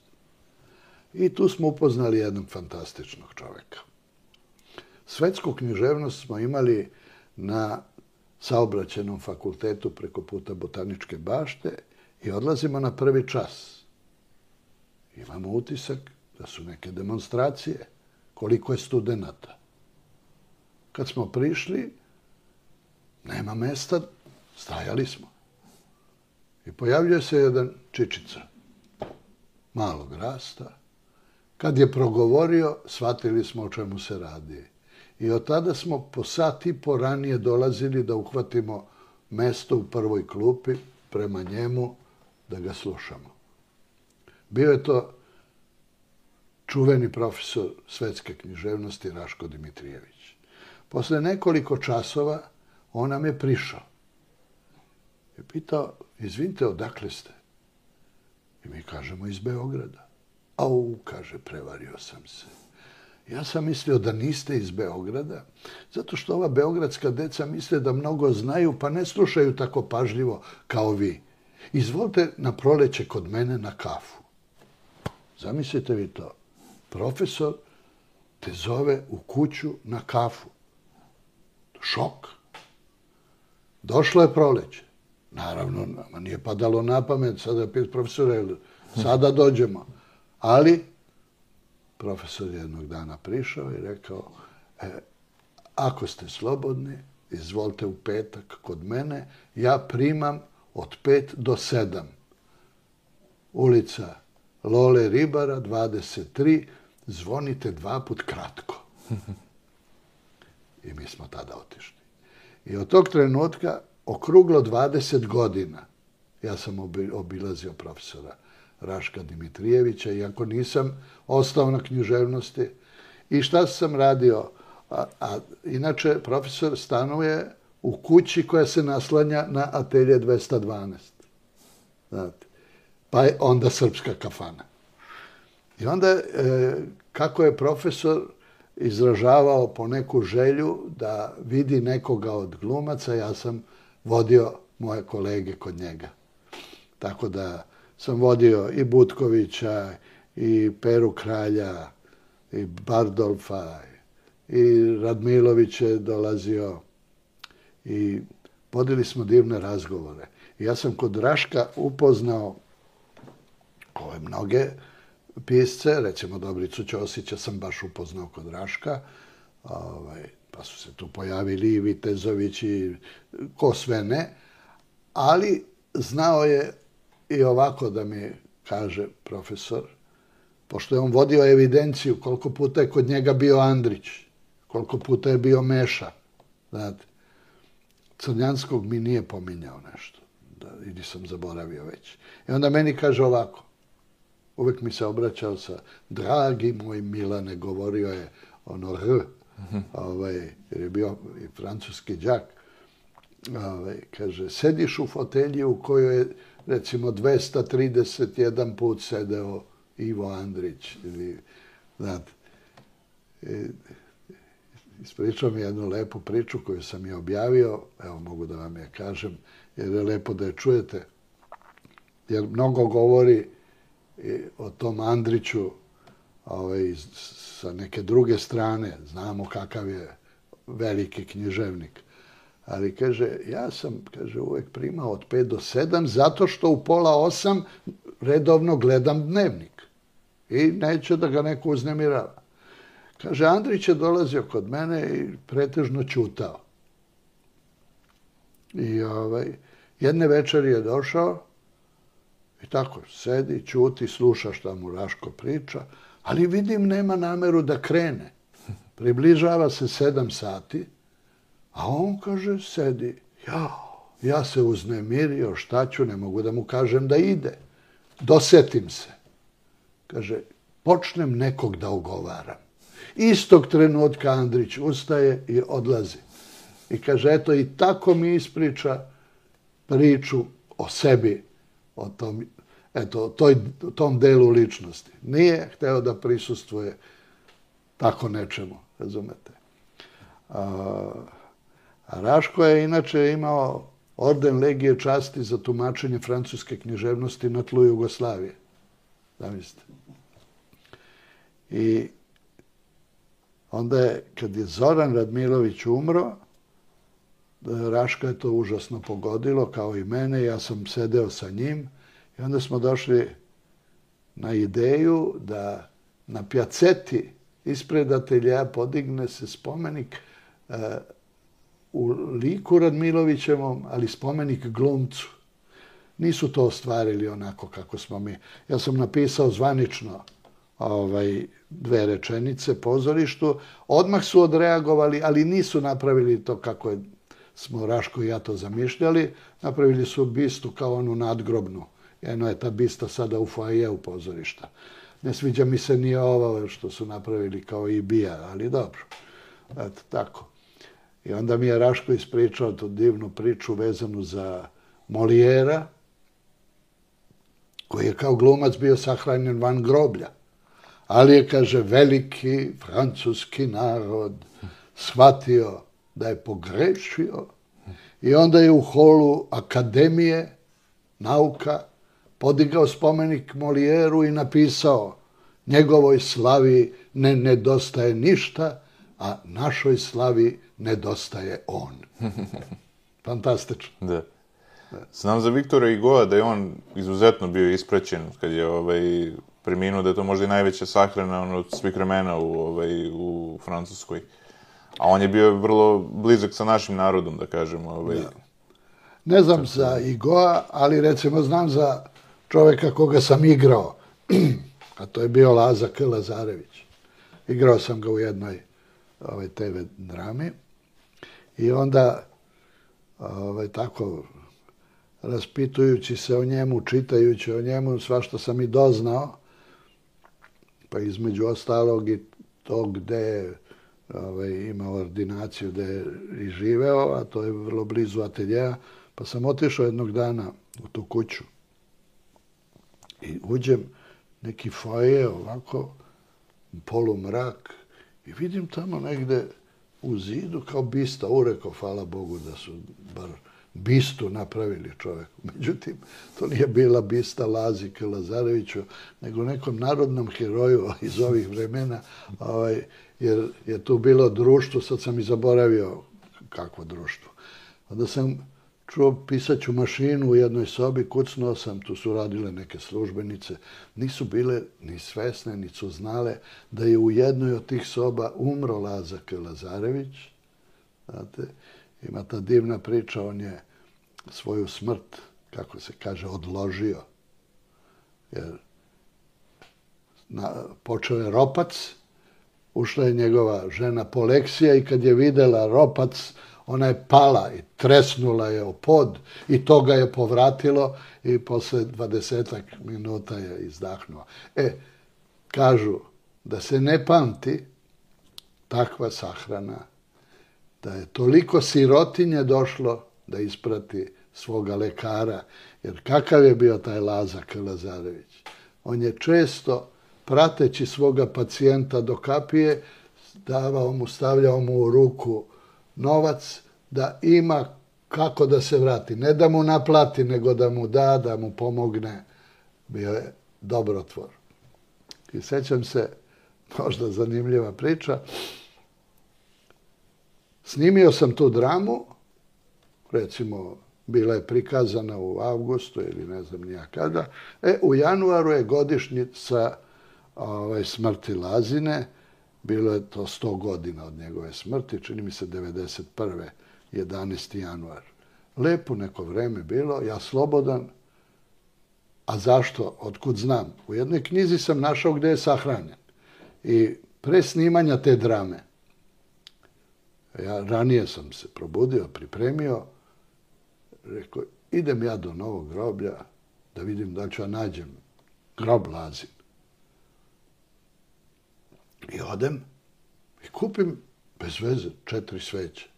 I tu smo upoznali jednog fantastičnog čoveka. Svetsku književnost smo imali na Saobraćajnom fakultetu preko puta Botaničke bašte i odlazimo na prvi čas. Imamo utisak da su neke demonstracije, koliko je studenata. Kad smo prišli, nema mesta, stajali smo. I pojavljuje se jedan čičica, malog rasta. Kad je progovorio, shvatili smo o čemu se radi. I od tada smo po sat i po ranije dolazili da uhvatimo mesto u prvoj klupi prema njemu da ga slušamo. Bio je to čuveni profesor svetske književnosti Raško Dimitrijević. Posle nekoliko časova On nam je prišao. I pitao, izvinite, odakle ste? I mi kažemo, iz Beograda. Au, kaže, prevario sam se. Ja sam mislio da niste iz Beograda, zato što ova beogradska deca misle da mnogo znaju, pa ne slušaju tako pažljivo kao vi. Izvolite na proleće kod mene na kafu. Zamislite vi to. Profesor te zove u kuću na kafu. Šok. Došlo je proleće. Naravno, nama nije padalo na pamet, sada pit profesore, sada dođemo. Ali profesor jednog dana prišao i rekao, e, ako ste slobodni, izvolite u petak kod mene, ja primam od pet do sedam. Ulica Lole Ribara, dvadeset tri, zvonite dva put kratko. I mi smo tada otišli. I od tog trenutka, okruglo dvadeset godina, ja sam obilazio profesora Raška Dimitrijevića, iako nisam ostao na književnosti. I šta sam radio? A, a, inače, profesor stanuje u kući koja se naslanja na atelje dvesta dvanaest. Znate. Pa je onda srpska kafana. I onda, e, kako je profesor izražavao po neku želju da vidi nekoga od glumaca, ja sam vodio moje kolege kod njega. Tako da sam vodio i Butkovića, i Peru Kralja, i Bardolfa, i Radmilović je dolazio. I vodili smo divne razgovore. I ja sam kod Raška upoznao ove mnoge pisce, recimo Dobricu Ćosića sam baš upoznao kod Raška, ovaj, pa su se tu pojavili i Vitezović i ko sve ne, ali znao je i ovako da mi kaže profesor, pošto je on vodio evidenciju koliko puta je kod njega bio Andrić, koliko puta je bio Meša, znate, Crnjanskog mi nije pominjao nešto, da, ili sam zaboravio već. I onda meni kaže ovako, uvek mi se obraćao sa dragi moj Milane, govorio je ono R, ovaj, jer je bio i francuski đak. Ovaj, kaže, sediš u fotelji u kojoj je recimo dvesta trideset jedan put sedeo Ivo Andrić. Ili, znate, ispričao mi jednu lepu priču koju sam je objavio, evo mogu da vam je kažem, jer je lepo da je čujete, jer mnogo govori o tom Andriću ovaj, sa neke druge strane, znamo kakav je veliki književnik. Ali kaže, ja sam, kaže, uvek primao od pet do sedam, zato što u pola osam redovno gledam dnevnik. I neće da ga neko uznemirava. Kaže, Andrić je dolazio kod mene i pretežno ćutao. I ovaj, jedne večeri je došao i tako sedi, ćuti, sluša šta mu Raško priča, ali vidim nema nameru da krene. Približava se sedam sati, a on, kaže, sedi. Ja, ja se uznemirio, šta ću, ne mogu da mu kažem da ide. Dosetim se. Kaže, počnem nekog da ogovaram. Istog trenutka Andrić ustaje i odlazi. I kaže, eto, i tako mi ispriča priču o sebi, o tom, eto, toj, tom delu ličnosti. Nije hteo da prisustvuje tako nečemu, razumete. A, a Raško je inače imao orden Legije časti za tumačenje francuske književnosti na tlu Jugoslavije. Zamislite. I onda je, kad je Zoran Radmilović umro, Raška je to užasno pogodilo, kao i mene, ja sam sedeo sa njim i onda smo došli na ideju da na Pjaceti ispred ateljeja podigne se spomenik uh, u liku Radmilovićevom, ali spomenik glumcu. Nisu to ostvarili onako kako smo mi. Ja sam napisao zvanično ovaj, dve rečenice pozorištu. Odmah su odreagovali, ali nisu napravili to kako je, smo Raško i ja to zamišljali. Napravili su bistu kao onu nadgrobnu. Jedno je ta bista sada u foajeu pozorišta. Ne sviđa mi se ni ovo što su napravili kao i bija, ali dobro. Eto, tako. I onda mi je Raško ispričao tu divnu priču vezanu za Molijera, koji je kao glumac bio sahranjen van groblja. Ali je, kaže, veliki francuski narod shvatio da je pogrešio i onda je u holu Akademije nauka podigao spomenik Molijeru i napisao: njegovoj slavi ne nedostaje ništa, a našoj slavi nedostaje on. Fantastično. Da. Znam za Viktora Hugoa da je on izuzetno bio ispraćen kad je ovaj, preminuo, da je to možda i najveća sahrana ono, od svih vremena u, ovaj, u Francuskoj. A on je bio vrlo blizak sa našim narodom, da kažemo. Ovaj. Da. Ne znam za Hugoa, ali recimo znam za čoveka koga sam igrao, a to je bio Laza K. Lazarević. Igrao sam ga u jednoj ovaj, te ve drami i onda ovaj, tako raspitujući se o njemu, čitajući o njemu, svašta sam i doznao, pa između ostalog i to gde je ovaj, imao ordinaciju, gde je i živeo, a to je vrlo blizu ateljeja, pa sam otišao jednog dana u tu kuću i uđem neki foje ovako, polumrak, i vidim tamo negde u zidu kao bista, ureko, hvala Bogu da su bar bistu napravili čoveku. Međutim, to nije bila bista Lazi K. Lazareviću, nego nekom narodnom heroju iz ovih vremena, ovaj, jer je tu bilo društvo, sad sam i zaboravio kakvo društvo. Onda sam čuo pisaću mašinu u jednoj sobi, kucnuo sam, tu su radile neke službenice, nisu bile ni svesne, ni su znale da je u jednoj od tih soba umro Laza K. Lazarević. Znate, ima ta divna priča, on je svoju smrt, kako se kaže, odložio. Jer na, počeo je ropac, ušla je njegova žena Poleksija i kad je videla ropac, ona je pala i tresnula je o pod i to ga je povratilo i posle dvadesetak minuta je izdahnuo. E, kažu da se ne pamti takva sahrana, da je toliko sirotinje došlo da isprati svoga lekara, jer kakav je bio taj Laza K. Lazarević? On je često, prateći svoga pacijenta do kapije, davao mu, stavljao mu u ruku novac da ima kako da se vrati. Ne da mu naplati, nego da mu da, da mu pomogne. Bio je dobrotvor. I sećam se, možda zanimljiva priča, snimio sam tu dramu, recimo, bila je prikazana u avgustu ili ne znam nija kada. E, u januaru je godišnjica ovaj, smrti Lazine. Bilo je to sto godina od njegove smrti, čini mi se devedeset prve jedanaesti januar. Lepo neko vreme bilo, ja slobodan. A zašto? Otkud znam? U jednoj knjizi sam našao gde je sahranjen. I pre snimanja te drame, ja ranije sam se probudio, pripremio, rekao, idem ja do novog groblja da vidim da ću ja nađem grob Lazin. I odem i kupim bez veze četiri sveće.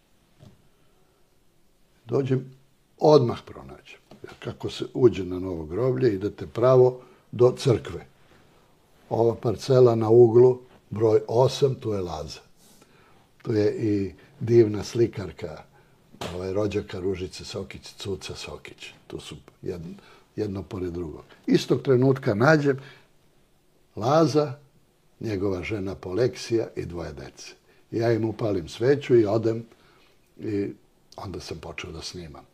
Dođem, odmah pronađem. Jer kako se uđe na novo groblje, idete pravo do crkve. Ova parcela na uglu, broj osam, tu je Laza. Tu je i divna slikarka, ovaj, rođaka Ružice Sokić, Cuca Sokić. Tu su jedno, jedno pored drugog. Istog trenutka nađem Laza, njegova žena Poleksija i dvoje dece. Ja im upalim sveću i odem i onda sam počeo da snimam.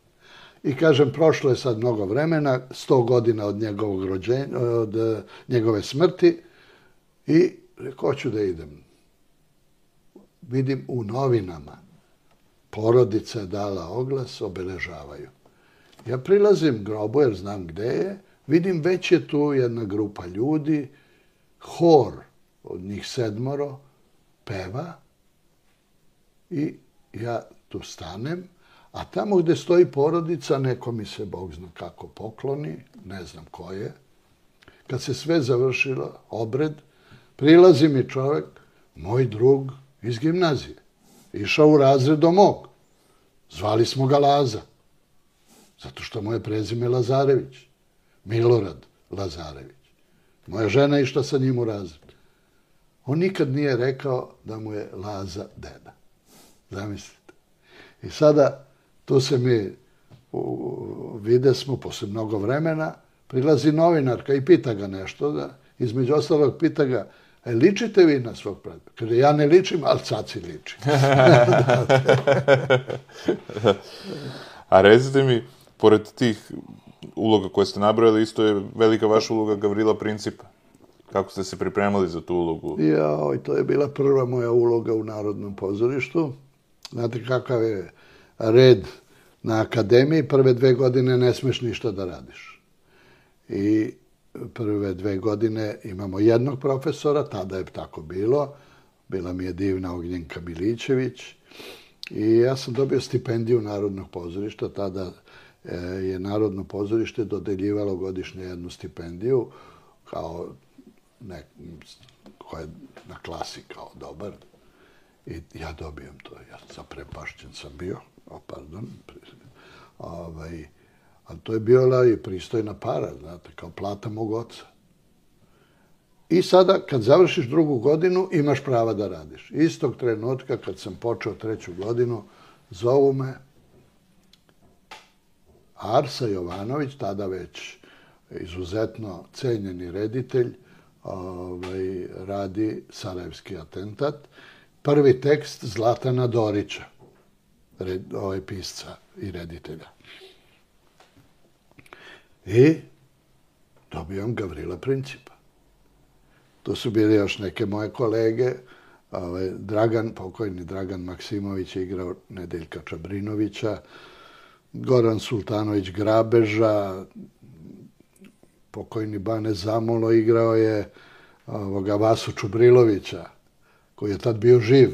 I kažem, prošlo je sad mnogo vremena, sto godina od njegovog rođenja, od njegove smrti i rekao, hoću da idem. Vidim u novinama, porodica je dala oglas, obeležavaju. Ja prilazim grobu jer znam gde je, vidim već je tu jedna grupa ljudi, hor od njih sedmoro peva i ja tu stanem, a tamo gde stoji porodica, neko mi se, Bog zna kako, pokloni, ne znam ko je. Kad se sve završilo, obred, prilazi mi čovek, moj drug iz gimnazije. išao u razred do mog. Zvali smo ga Laza. Zato što mu je prezime Lazarević. Milorad Lazarević. Moja žena išla sa njim u razred. On nikad nije rekao da mu je Laza deda. Zamislite. I sada, tu se mi vide smo, posle mnogo vremena, prilazi novinarka i pita ga nešto. Da, između ostalog pita ga, e, ličite vi na svog pradeda? Kaže, ja ne ličim, ali caci liči. A recite mi, pored tih uloga koje ste nabrojali, isto je velika vaša uloga Gavrila Principa. Kako ste se pripremali za tu ulogu? Jao, to je bila prva moja uloga u Narodnom pozorištu. Znate kakav je red na akademiji, prve dve godine ne smeš ništa da radiš. I prve dve godine imamo jednog profesora, tada je tako bilo, bila mi je divna Ognjenka Milićević i ja sam dobio stipendiju Narodnog pozorišta, tada je Narodno pozorište dodeljivalo godišnje jednu stipendiju, kao nek, koja je na klasi kao dobar. I ja dobijem to, ja zaprepašćen sam bio, o, pardon, ovaj, ali to je bila i pristojna para, znate, kao plata mog oca. I sada, kad završiš drugu godinu, imaš prava da radiš. Istog trenutka, kad sam počeo treću godinu, zovu me Arsa Jovanović, tada već izuzetno cenjeni reditelj, ovaj, radi Sarajevski atentat. Prvi tekst Zlatana Dorića, red, ovaj pisca i reditelja. I dobijam Gavrila Principa. Tu su bili još neke moje kolege. Ovaj, Dragan, pokojni Dragan Maksimović je igrao Nedeljka Čabrinovića, Goran Sultanović Grabeža, pokojni Bane Zamulo igrao je ovoga Vasu Čubrilovića, koji je tad bio živ.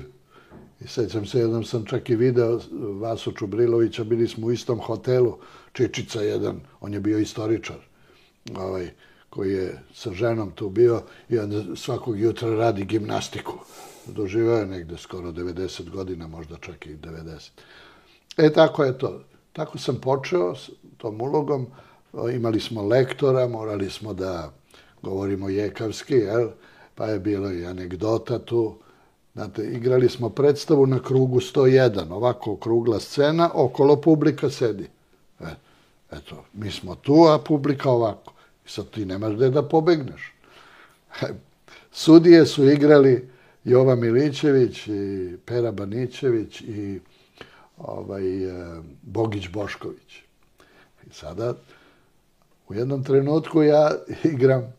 I sećam se, jednom sam čak i video Vasu Čubrilovića, bili smo u istom hotelu, Čičica jedan, on je bio istoričar, ovaj, koji je sa ženom tu bio i onda svakog jutra radi gimnastiku. Doživao je negde skoro devedeset godina, možda čak i devedeset. E, tako je to. Tako sam počeo s tom ulogom. Imali smo lektora, morali smo da govorimo jekavski, jel? Pa je bilo i anegdota tu. Znate, igrali smo predstavu na krugu sto jedan, ovako okrugla scena, okolo publika sedi. E, eto, mi smo tu, a publika ovako. I sad ti nemaš gde da pobegneš. Sudije su igrali Jova Milićević i Pera Banićević i ovaj, Bogić Bošković. I sada, u jednom trenutku ja igram,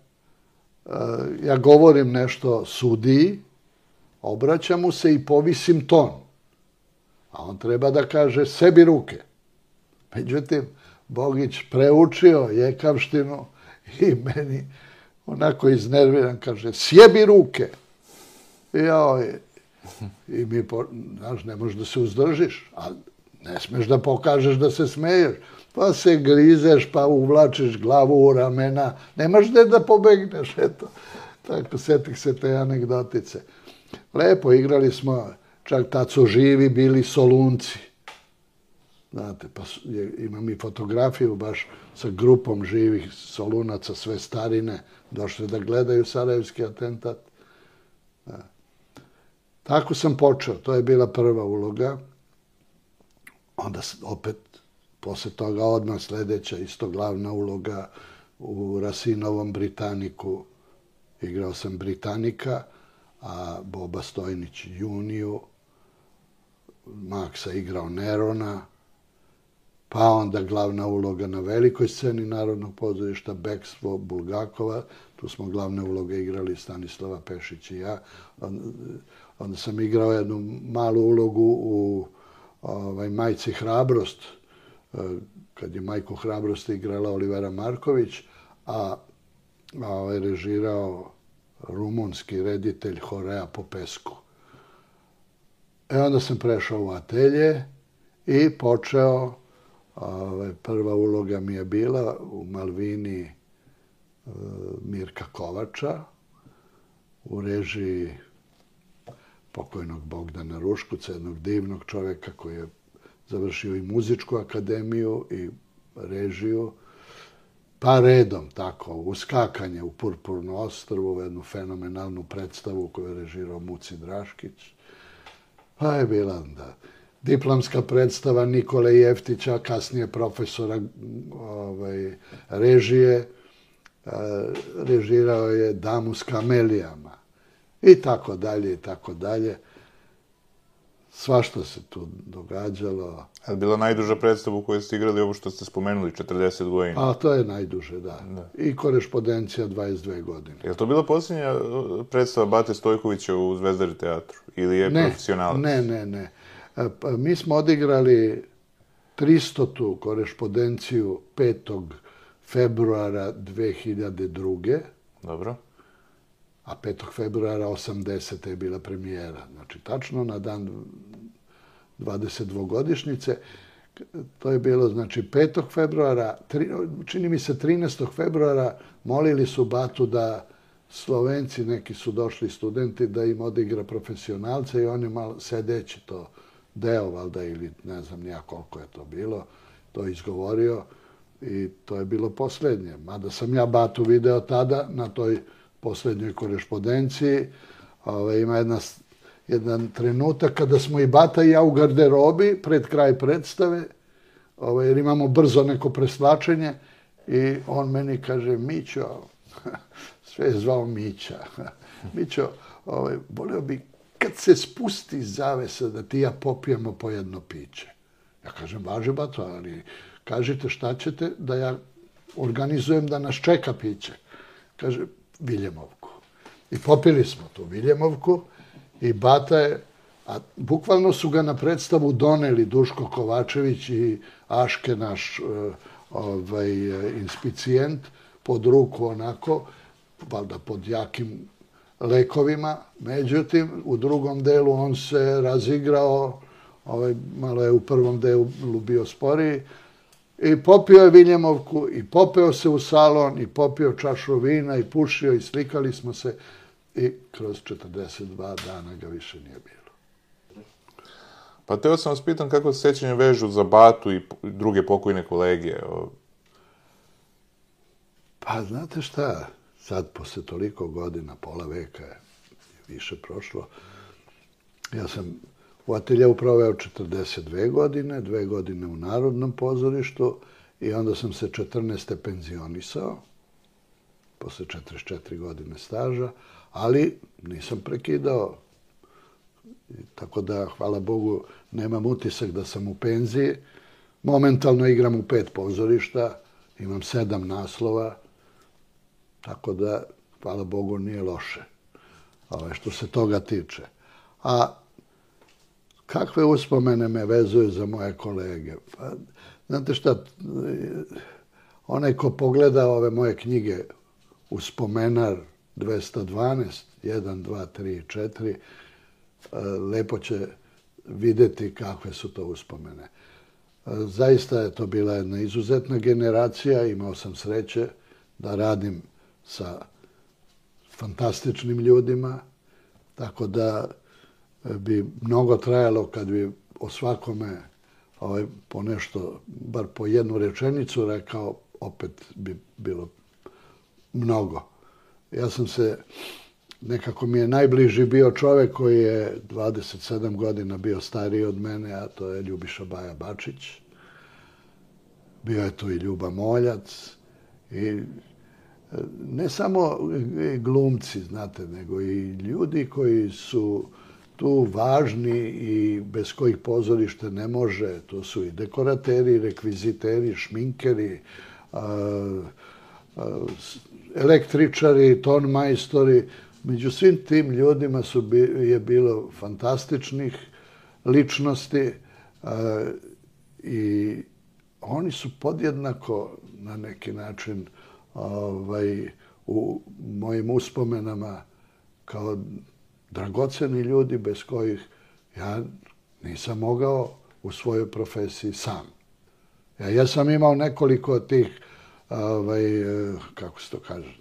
ja govorim nešto sudiji, obraćam mu se i povisim ton. A on treba da kaže sebi ruke. Međutim, Bogić preučio jekavštinu i meni onako iznerviran kaže sjebi ruke. I, joj, i mi, znaš, ne možeš da se uzdržiš, a ne smeš da pokažeš da se smeješ. Pa se grizeš, pa uvlačiš glavu u ramena. Nemaš gde da pobegneš, eto. Tako, setih se te anegdotice. Lepo, igrali smo, čak tad su živi bili Solunci. Znate, pa je, imam i fotografiju baš sa grupom živih Solunaca, sve starine, došli da gledaju Sarajevski atentat. Da. Tako sam počeo, to je bila prva uloga. Onda opet, posle toga odmah sledeća, isto glavna uloga u Rasinovom Britaniku. Igrao sam Britanika, a Boba Stojnić Juniju, Maksa igrao Nerona, pa onda glavna uloga na velikoj sceni Narodnog pozorišta, Bekstvo Bulgakova, tu smo glavne uloge igrali Stanislava Pešić i ja. Onda sam igrao jednu malu ulogu u ovaj, Majci Hrabrost, kad je Majku Hrabrost igrala Olivera Marković, a, a ovaj, režirao rumunski reditelj Horea Popescu. E onda sam prešao u atelje i počeo, ovaj, prva uloga mi je bila u Malvini e, Mirka Kovača, u režiji pokojnog Bogdana Ruškuca, jednog divnog čoveka koji je završio i muzičku akademiju i režiju. Pa redom, tako, uskakanje u Purpurno ostrvo, jednu fenomenalnu predstavu koju je režirao Muci Draškić. Pa je bila onda diplomska predstava Nikole Jeftića, kasnije profesora ovaj, režije. Režirao je Damu s kamelijama. I tako dalje, i tako dalje. Svašta se tu događalo. Je li bila najduža predstava u kojoj ste igrali ovo što ste spomenuli, četrdeset godina? A to je najduže, da. I korespondencija dvadeset dve godine. Je li to bila posljednja predstava Bate Stojkovića u Zvezdari teatru? Ili je profesionalac? Ne, ne, ne. Mi smo odigrali tristotu korespondenciju petog februara dve hiljade druge. Dobro. A petog februara osamdesete je bila premijera. Znači, tačno na dan dvadesetdvogodišnjice. To je bilo, znači, petog februara, čini mi se trinaestog februara, molili su Batu da Slovenci, neki su došli studenti, da im odigra profesionalce i on je malo sedeći to deo, valjda, ili ne znam nija koliko je to bilo, to je izgovorio i to je bilo posljednje. Mada sam ja Batu video tada na toj posljednjoj korespondenciji. Ove, ima jedna, jedan trenutak kada smo i Bata i ja u garderobi pred kraj predstave, ove, jer imamo brzo neko preslačenje i on meni kaže, Mićo, sve je zvao Mića, Mićo, ove, volio bi kad se spusti zavesa da ti ja popijemo po jedno piće. Ja kažem, važi Bato, ali kažite šta ćete da ja organizujem da nas čeka piće. Kaže, Viljemovku. I popili smo tu Viljemovku i Bata je, a bukvalno su ga na predstavu doneli Duško Kovačević i Aške, naš ovaj, inspicijent, pod ruku onako, valjda pod jakim lekovima. Međutim, u drugom delu on se razigrao, ovaj, malo je u prvom delu bio sporiji, i popio je Viljemovku, i popeo se u salon, i popio čašu vina, i pušio, i slikali smo se. I kroz četrdeset dva dana ga više nije bilo. Pa teo sam vas pitan kako se sećanje vežu za Batu i druge pokojne kolege. Pa znate šta, sad posle toliko godina, pola veka je više prošlo, ja sam u ateljeu proveo četrdeset dve godine, dve godine u Narodnom pozorištu i onda sam se četrnaeste penzionisao, posle četrdeset četiri godine staža, ali nisam prekidao. Tako da, hvala Bogu, nemam utisak da sam u penziji. Momentalno igram u pet pozorišta, imam sedam naslova, tako da, hvala Bogu, nije loše što se toga tiče. A kakve uspomene me vezuju za moje kolege? Pa, znate šta, onaj ko pogleda ove moje knjige Uspomenar dvesta dvanaest, jedan, dva, tri, četiri, lepo će videti kakve su to uspomene. Zaista je to bila jedna izuzetna generacija, imao sam sreće da radim sa fantastičnim ljudima, tako da bi mnogo trajalo kad bi o svakome ovaj, po nešto, bar po jednu rečenicu rekao, opet bi bilo mnogo. Ja sam se, nekako mi je najbliži bio čovek koji je dvadeset sedam godina bio stariji od mene, a to je Ljubiša Baja Bačić. Bio je tu i Ljuba Moljac i ne samo glumci, znate, nego i ljudi koji su tu važni i bez kojih pozorište ne može. To su i dekorateri, rekviziteri, šminkeri, električari, tonmajstori. Među svim tim ljudima su, je bilo fantastičnih ličnosti i oni su podjednako na neki način ovaj, u mojim uspomenama kao dragoceni ljudi bez kojih ja nisam mogao u svojoj profesiji sam. Ja, ja sam imao nekoliko tih, ovaj, kako se to kaže,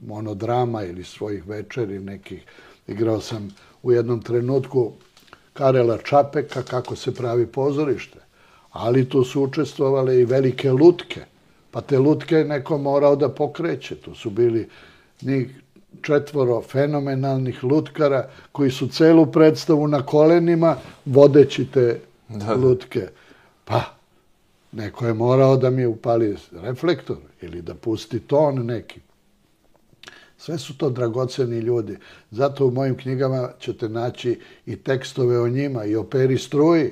monodrama ili svojih večeri nekih. Igrao sam u jednom trenutku Karela Čapeka kako se pravi pozorište. Ali tu su učestvovale i velike lutke. Pa te lutke je neko morao da pokreće. Tu su bili njih četvoro fenomenalnih lutkara koji su celu predstavu na kolenima vodeći te da, lutke. Pa, neko je morao da mi upali reflektor ili da pusti ton neki. Sve su to dragoceni ljudi. Zato u mojim knjigama ćete naći i tekstove o njima, i o Peri Struji,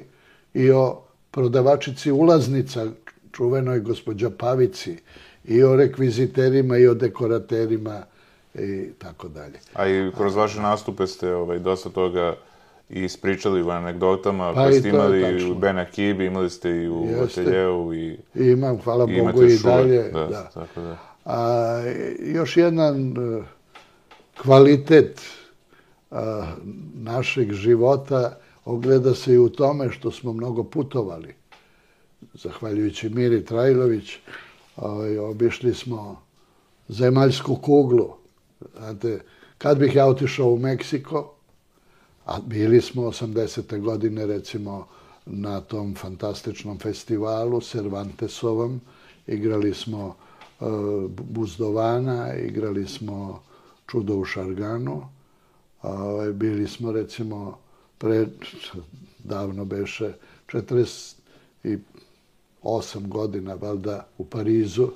i o prodavačici ulaznica, čuvenoj gospođa Pavici, i o rekviziterima, i o dekoraterima, i tako dalje. A i kroz vaše nastupe ste ovaj, dosta toga i ispričali u anegdotama, pa koje ste imali i u Ben Akibi, imali ste i u Ateljeu. I, I imam, hvala i Bogu, i šule. dalje. Da, da. Tako da. A, još jedan uh, kvalitet uh, našeg života ogleda se i u tome što smo mnogo putovali. Zahvaljujući Miri Trajlović, ovaj, obišli smo zemaljsku kuglu. Znate, kad bih ja otišao u Meksiko, a bili smo osamdesete godine, recimo, na tom fantastičnom festivalu Cervantesovom, igrali smo uh, Buzdovana, igrali smo Čudo u Šarganu, uh, bili smo, recimo, pre, davno beše, četrdeset osam godina, valjda, u Parizu.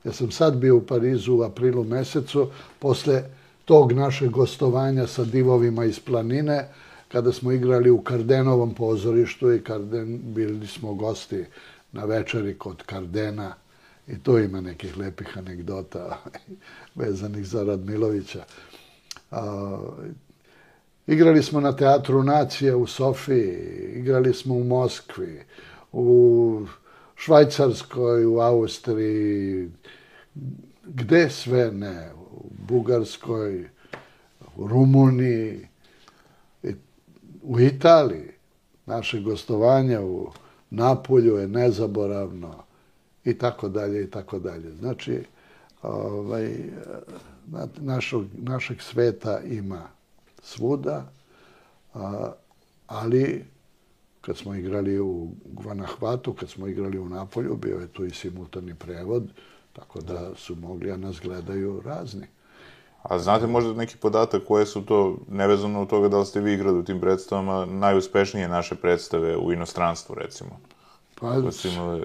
Ja sam sad bio u Parizu u aprilu mesecu, posle tog našeg gostovanja sa divovima iz planine, kada smo igrali u Kardenovom pozorištu i Karden, bili smo gosti na večeri kod Kardena i tu ima nekih lepih anegdota vezanih za Radmilovića. A, igrali smo na Teatru Nacije u Sofiji, igrali smo u Moskvi, u Švajcarskoj, u Austriji, gde sve ne, u Bugarskoj, u Rumuniji, u Italiji. Naše gostovanje u Napolju je nezaboravno i tako dalje i tako dalje. Znači, ovaj, našog, našeg sveta ima svuda, ali kad smo igrali u Guanahvatu, kad smo igrali u Napolju, bio je tu i simultani prevod, tako da su mogli, a nas gledaju razni. A znate možda neki podatak koje su to, nevezano od toga da li ste vi igrali u tim predstavama, najuspešnije naše predstave u inostranstvu, recimo? Pa, koje su imali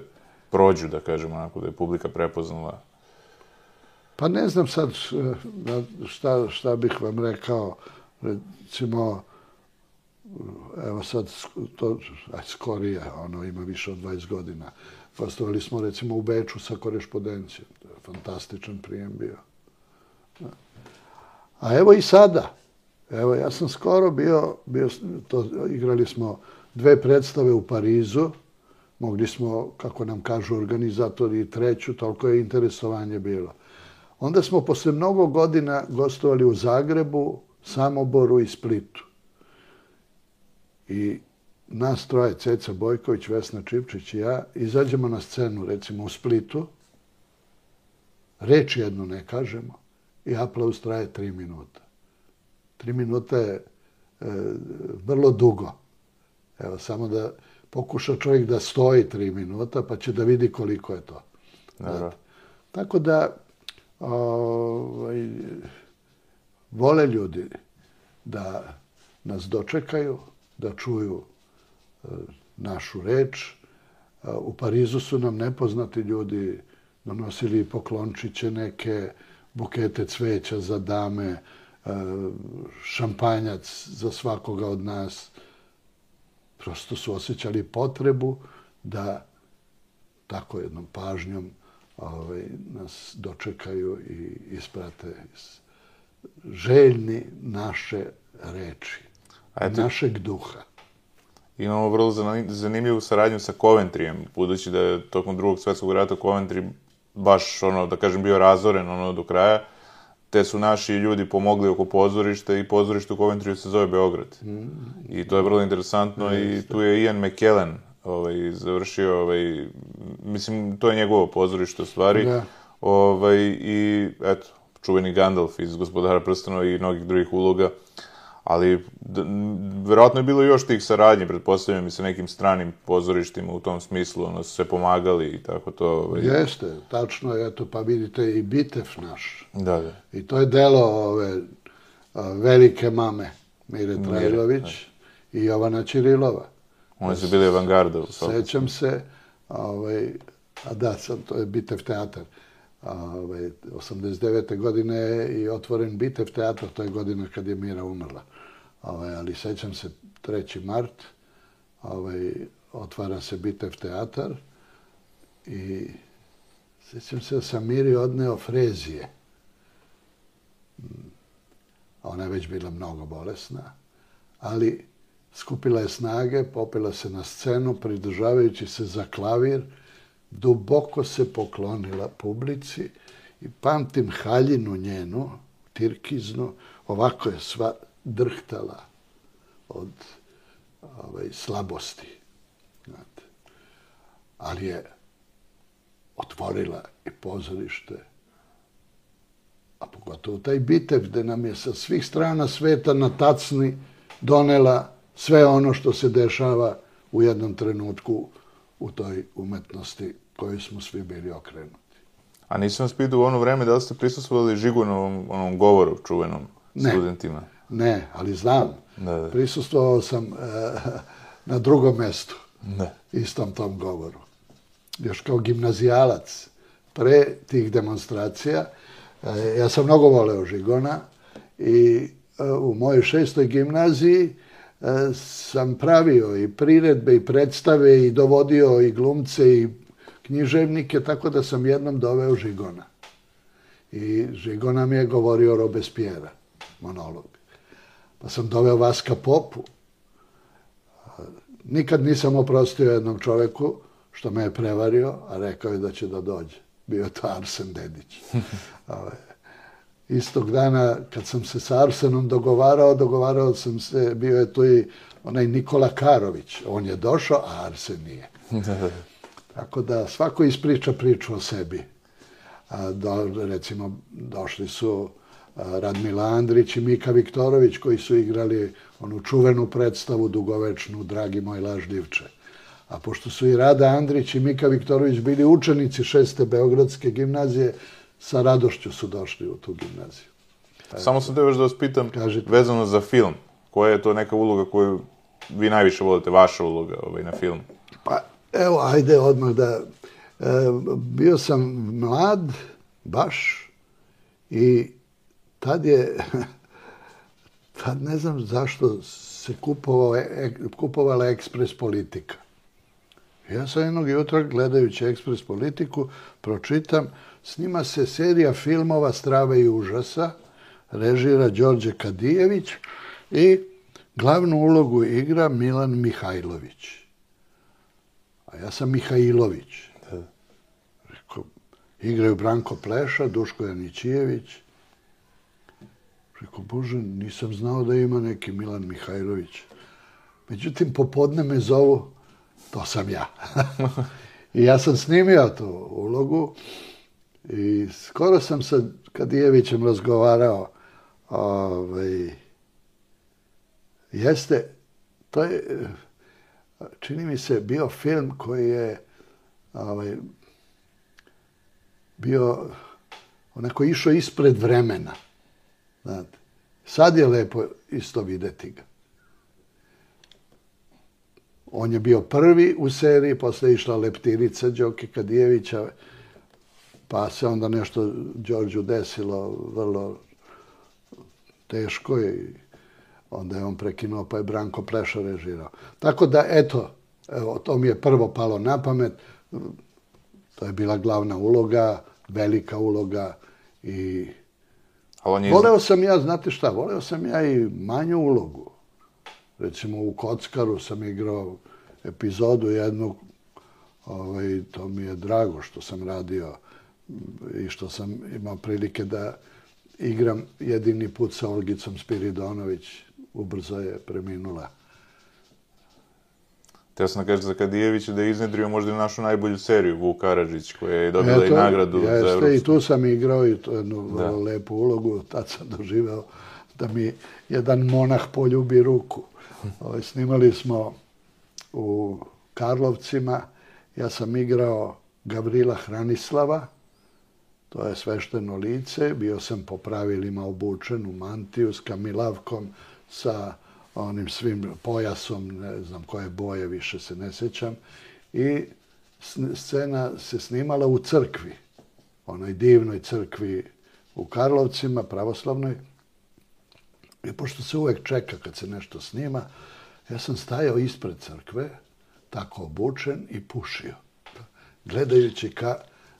prođu, da kažemo, onako da je publika prepoznala. Pa ne znam sad šta, šta bih vam rekao, recimo, evo sad, to, aj, skorije, ono ima više od dvadeset godina. Gostovali smo recimo u Beču sa Korespondencijom. To je fantastičan prijem bio. A evo i sada. Evo, ja sam skoro bio, bio to, igrali smo dve predstave u Parizu. Mogli smo, kako nam kažu organizatori, i treću, toliko je interesovanje bilo. Onda smo posle mnogo godina gostovali u Zagrebu, Samoboru i Splitu. I nas troje, Ceca Bojković, Vesna Čipčić i ja, izađemo na scenu, recimo u Splitu, reč jednu ne kažemo i aplauz traje tri minuta. Tri minuta je e, vrlo dugo. Evo, samo da pokuša čovjek da stoji tri minuta, pa će da vidi koliko je to. Dobro. Tako da, ovaj, vole ljudi da nas dočekaju, da čuju e, našu reč. E, u Parizu su nam nepoznati ljudi donosili poklončiće neke, bukete cveća za dame, e, šampanjac za svakoga od nas. Prosto su osjećali potrebu da tako jednom pažnjom ovaj, nas dočekaju i isprate željni naše reči. Eto, našeg duha. Imamo vrlo zanimljivu saradnju sa Coventryjem, budući da je tokom drugog svjetskog rata Coventry baš, ono, da kažem, bio razoren ono do kraja, te su naši ljudi pomogli oko pozorišta i pozorište u Coventryju se zove Beograd. Mm. I to je vrlo interesantno. Mm. I tu je Ian McKellen ovaj, završio, ovaj, mislim, to je njegovo pozorište u stvari. Da. Ovaj, I, eto, čuveni Gandalf iz Gospodara prstenova i mnogih drugih uloga. Ali, d- verovatno je bilo još tih saradnji, pretpostavljam i sa nekim stranim pozorištima u tom smislu, ono, su se pomagali i tako to. Ovaj... Jeste, tačno je, eto, pa vidite i Bitev naš. Da, da. I to je delo ove a, velike mame, Mire Trajlović i Jovana Ćirilova. Oni su bili avangarda. Sećam se, ovaj, a da, sam, to je Bitev teatar. Ovaj, osamdeset devete godine je i otvoren Bitev teatar, to je godina kad je Mira umrla. Ovaj, ali sećam se treći mart, ovaj, otvara se Bitev teatar i sećam se da sam Miri odneo frezije. Ona je već bila mnogo bolesna, ali skupila je snage, popela se na scenu, pridržavajući se za klavir, duboko se poklonila publici i pamtim haljinu njenu, tirkiznu, ovako je sva drhtala od ovaj, slabosti. Znate. Ali je otvorila i pozorište, a pogotovo taj Bitev, gde nam je sa svih strana sveta na tacni donela sve ono što se dešava u jednom trenutku u toj umetnosti kojoj smo svi bili okrenuti. A nisam vas pitao u ono vreme da li ste prisustvovali Žigunovom onom govoru čuvenom ne, studentima? Ne, ali znam. Da, da. Prisustvovao sam e, na drugom mestu, da. istom tom govoru. Još kao gimnazijalac, pre tih demonstracija, e, ja sam mnogo voleo Žigona i e, u mojoj šestoj gimnaziji e, sam pravio i priredbe i predstave i dovodio i glumce i književnike, tako da sam jednom doveo Žigona. I Žigona mi je govorio Robespierre, monolog. Pa sam doveo Vaska Popu. Nikad nisam oprostio jednom čoveku što me je prevario, a rekao je da će da dođe. Bio je to Arsen Dedić. Istog dana, kad sam se sa Arsenom dogovarao, dogovarao sam se, bio je tu i onaj Nikola Karović. On je došao, a Arsen nije. Tako da svako ispriča priču o sebi. A, do, recimo, došli su a, Radmila Andrić i Mika Viktorović, koji su igrali onu čuvenu predstavu dugovečnu Dragi moj lažljivče. A pošto su i Rada Andrić i Mika Viktorović bili učenici šeste Beogradske gimnazije, sa radošću su došli u tu gimnaziju. Samo sam te još da vas pitam, Kažite. Vezano za film, koja je to neka uloga koju vi najviše volite, vaša uloga ovaj, na filmu? Pa, evo, ajde odmah da... E, bio sam mlad, baš, i tad je... Tad ne znam zašto se kupovao, e, kupovala Ekspres Politika. Ja sam jednog jutra, gledajući Ekspres Politiku, pročitam, snima se serija filmova Strave i užasa, režira Đorđe Kadijević i glavnu ulogu igra Milan Mihajlović. A ja sam Mihajlović. Rekao, igraju Branko Pleša, Duško Janićijević. Rekao, Bože, nisam znao da ima neki Milan Mihajlović. Međutim, popodne me zovu, to sam ja. I ja sam snimio tu ulogu i skoro sam sa Kadijevićem razgovarao. Ovaj, jeste, to je, čini mi se, bio film koji je ovaj, bio onako išao ispred vremena. Znate, sad je lepo isto videti ga. On je bio prvi u seriji, posle je išla Leptirica Đoke Kadijevića, pa se onda nešto Đorđu desilo vrlo teško i onda je on prekinuo, pa je Branko Pleša režirao. Tako da, eto, evo, to mi je prvo palo na pamet. To je bila glavna uloga, velika uloga i... Je... Voleo sam ja, znate šta, voleo sam ja i manju ulogu. Recimo u Kockaru sam igrao epizodu jednu, ovaj, to mi je drago što sam radio i što sam imao prilike da igram jedini put sa Olgicom Spiridonović, ubrzo je preminula. Teo sam da kažem za Kadijevića da je iznedrio možda i našu najbolju seriju, Vuk Karadžić, koja je dobila Eto, i nagradu jeste, za Evropsku. I tu sam igrao i to jednu vrlo lepu ulogu, tad sam doživeo da mi jedan monah poljubi ruku. Ovaj, snimali smo u Karlovcima, ja sam igrao Gavrila Hranislava, to je svešteno lice, bio sam po pravilima obučen u mantiju s kamilavkom, sa onim svim pojasom, ne znam koje boje, više se ne sjećam, i scena se snimala u crkvi, onoj divnoj crkvi u Karlovcima, pravoslavnoj. I pošto se uvek čeka kad se nešto snima, ja sam stajao ispred crkve, tako obučen, i pušio, gledajući ka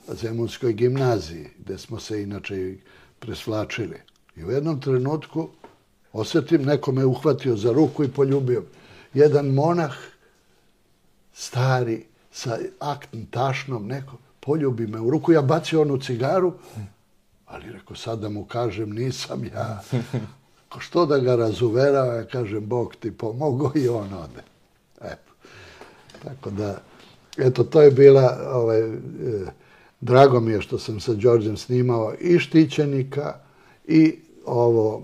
Zemunskoj gimnaziji, gde smo se inače presvlačili. I u jednom trenutku osjetim, neko me uhvatio za ruku i poljubio. Jedan monah, stari, sa aktnim tašnom, neko poljubi me u ruku, ja bacio onu cigaru, ali rekao, sad da mu kažem, nisam ja. Ko što da ga razuverava, ja kažem, Bog ti pomogao, i on ode. Eto. Tako da, eto, to je bila, ovaj, e, drago mi je što sam sa Đorđem snimao i Štićenika i ovo,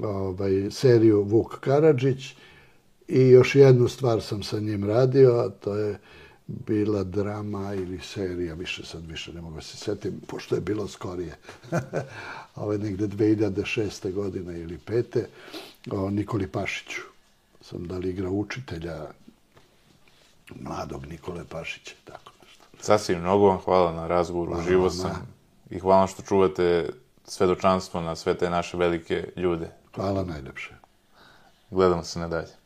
ovaj, seriju Vuk Karadžić, i još jednu stvar sam sa njim radio, a to je bila drama ili serija, više sad više ne mogu se setim, pošto je bilo skorije. Ovo je negde dve hiljade šeste. godine ili pete. O Nikoli Pašiću. Sam da li igrao učitelja mladog Nikole Pašića, tako nešto. Sasvim, mnogo vam hvala na razgovoru, uživo sam. I hvala što čuvate svedočanstvo na sve te naše velike ljude. Hvala najlepše. Gledamo se nadalje.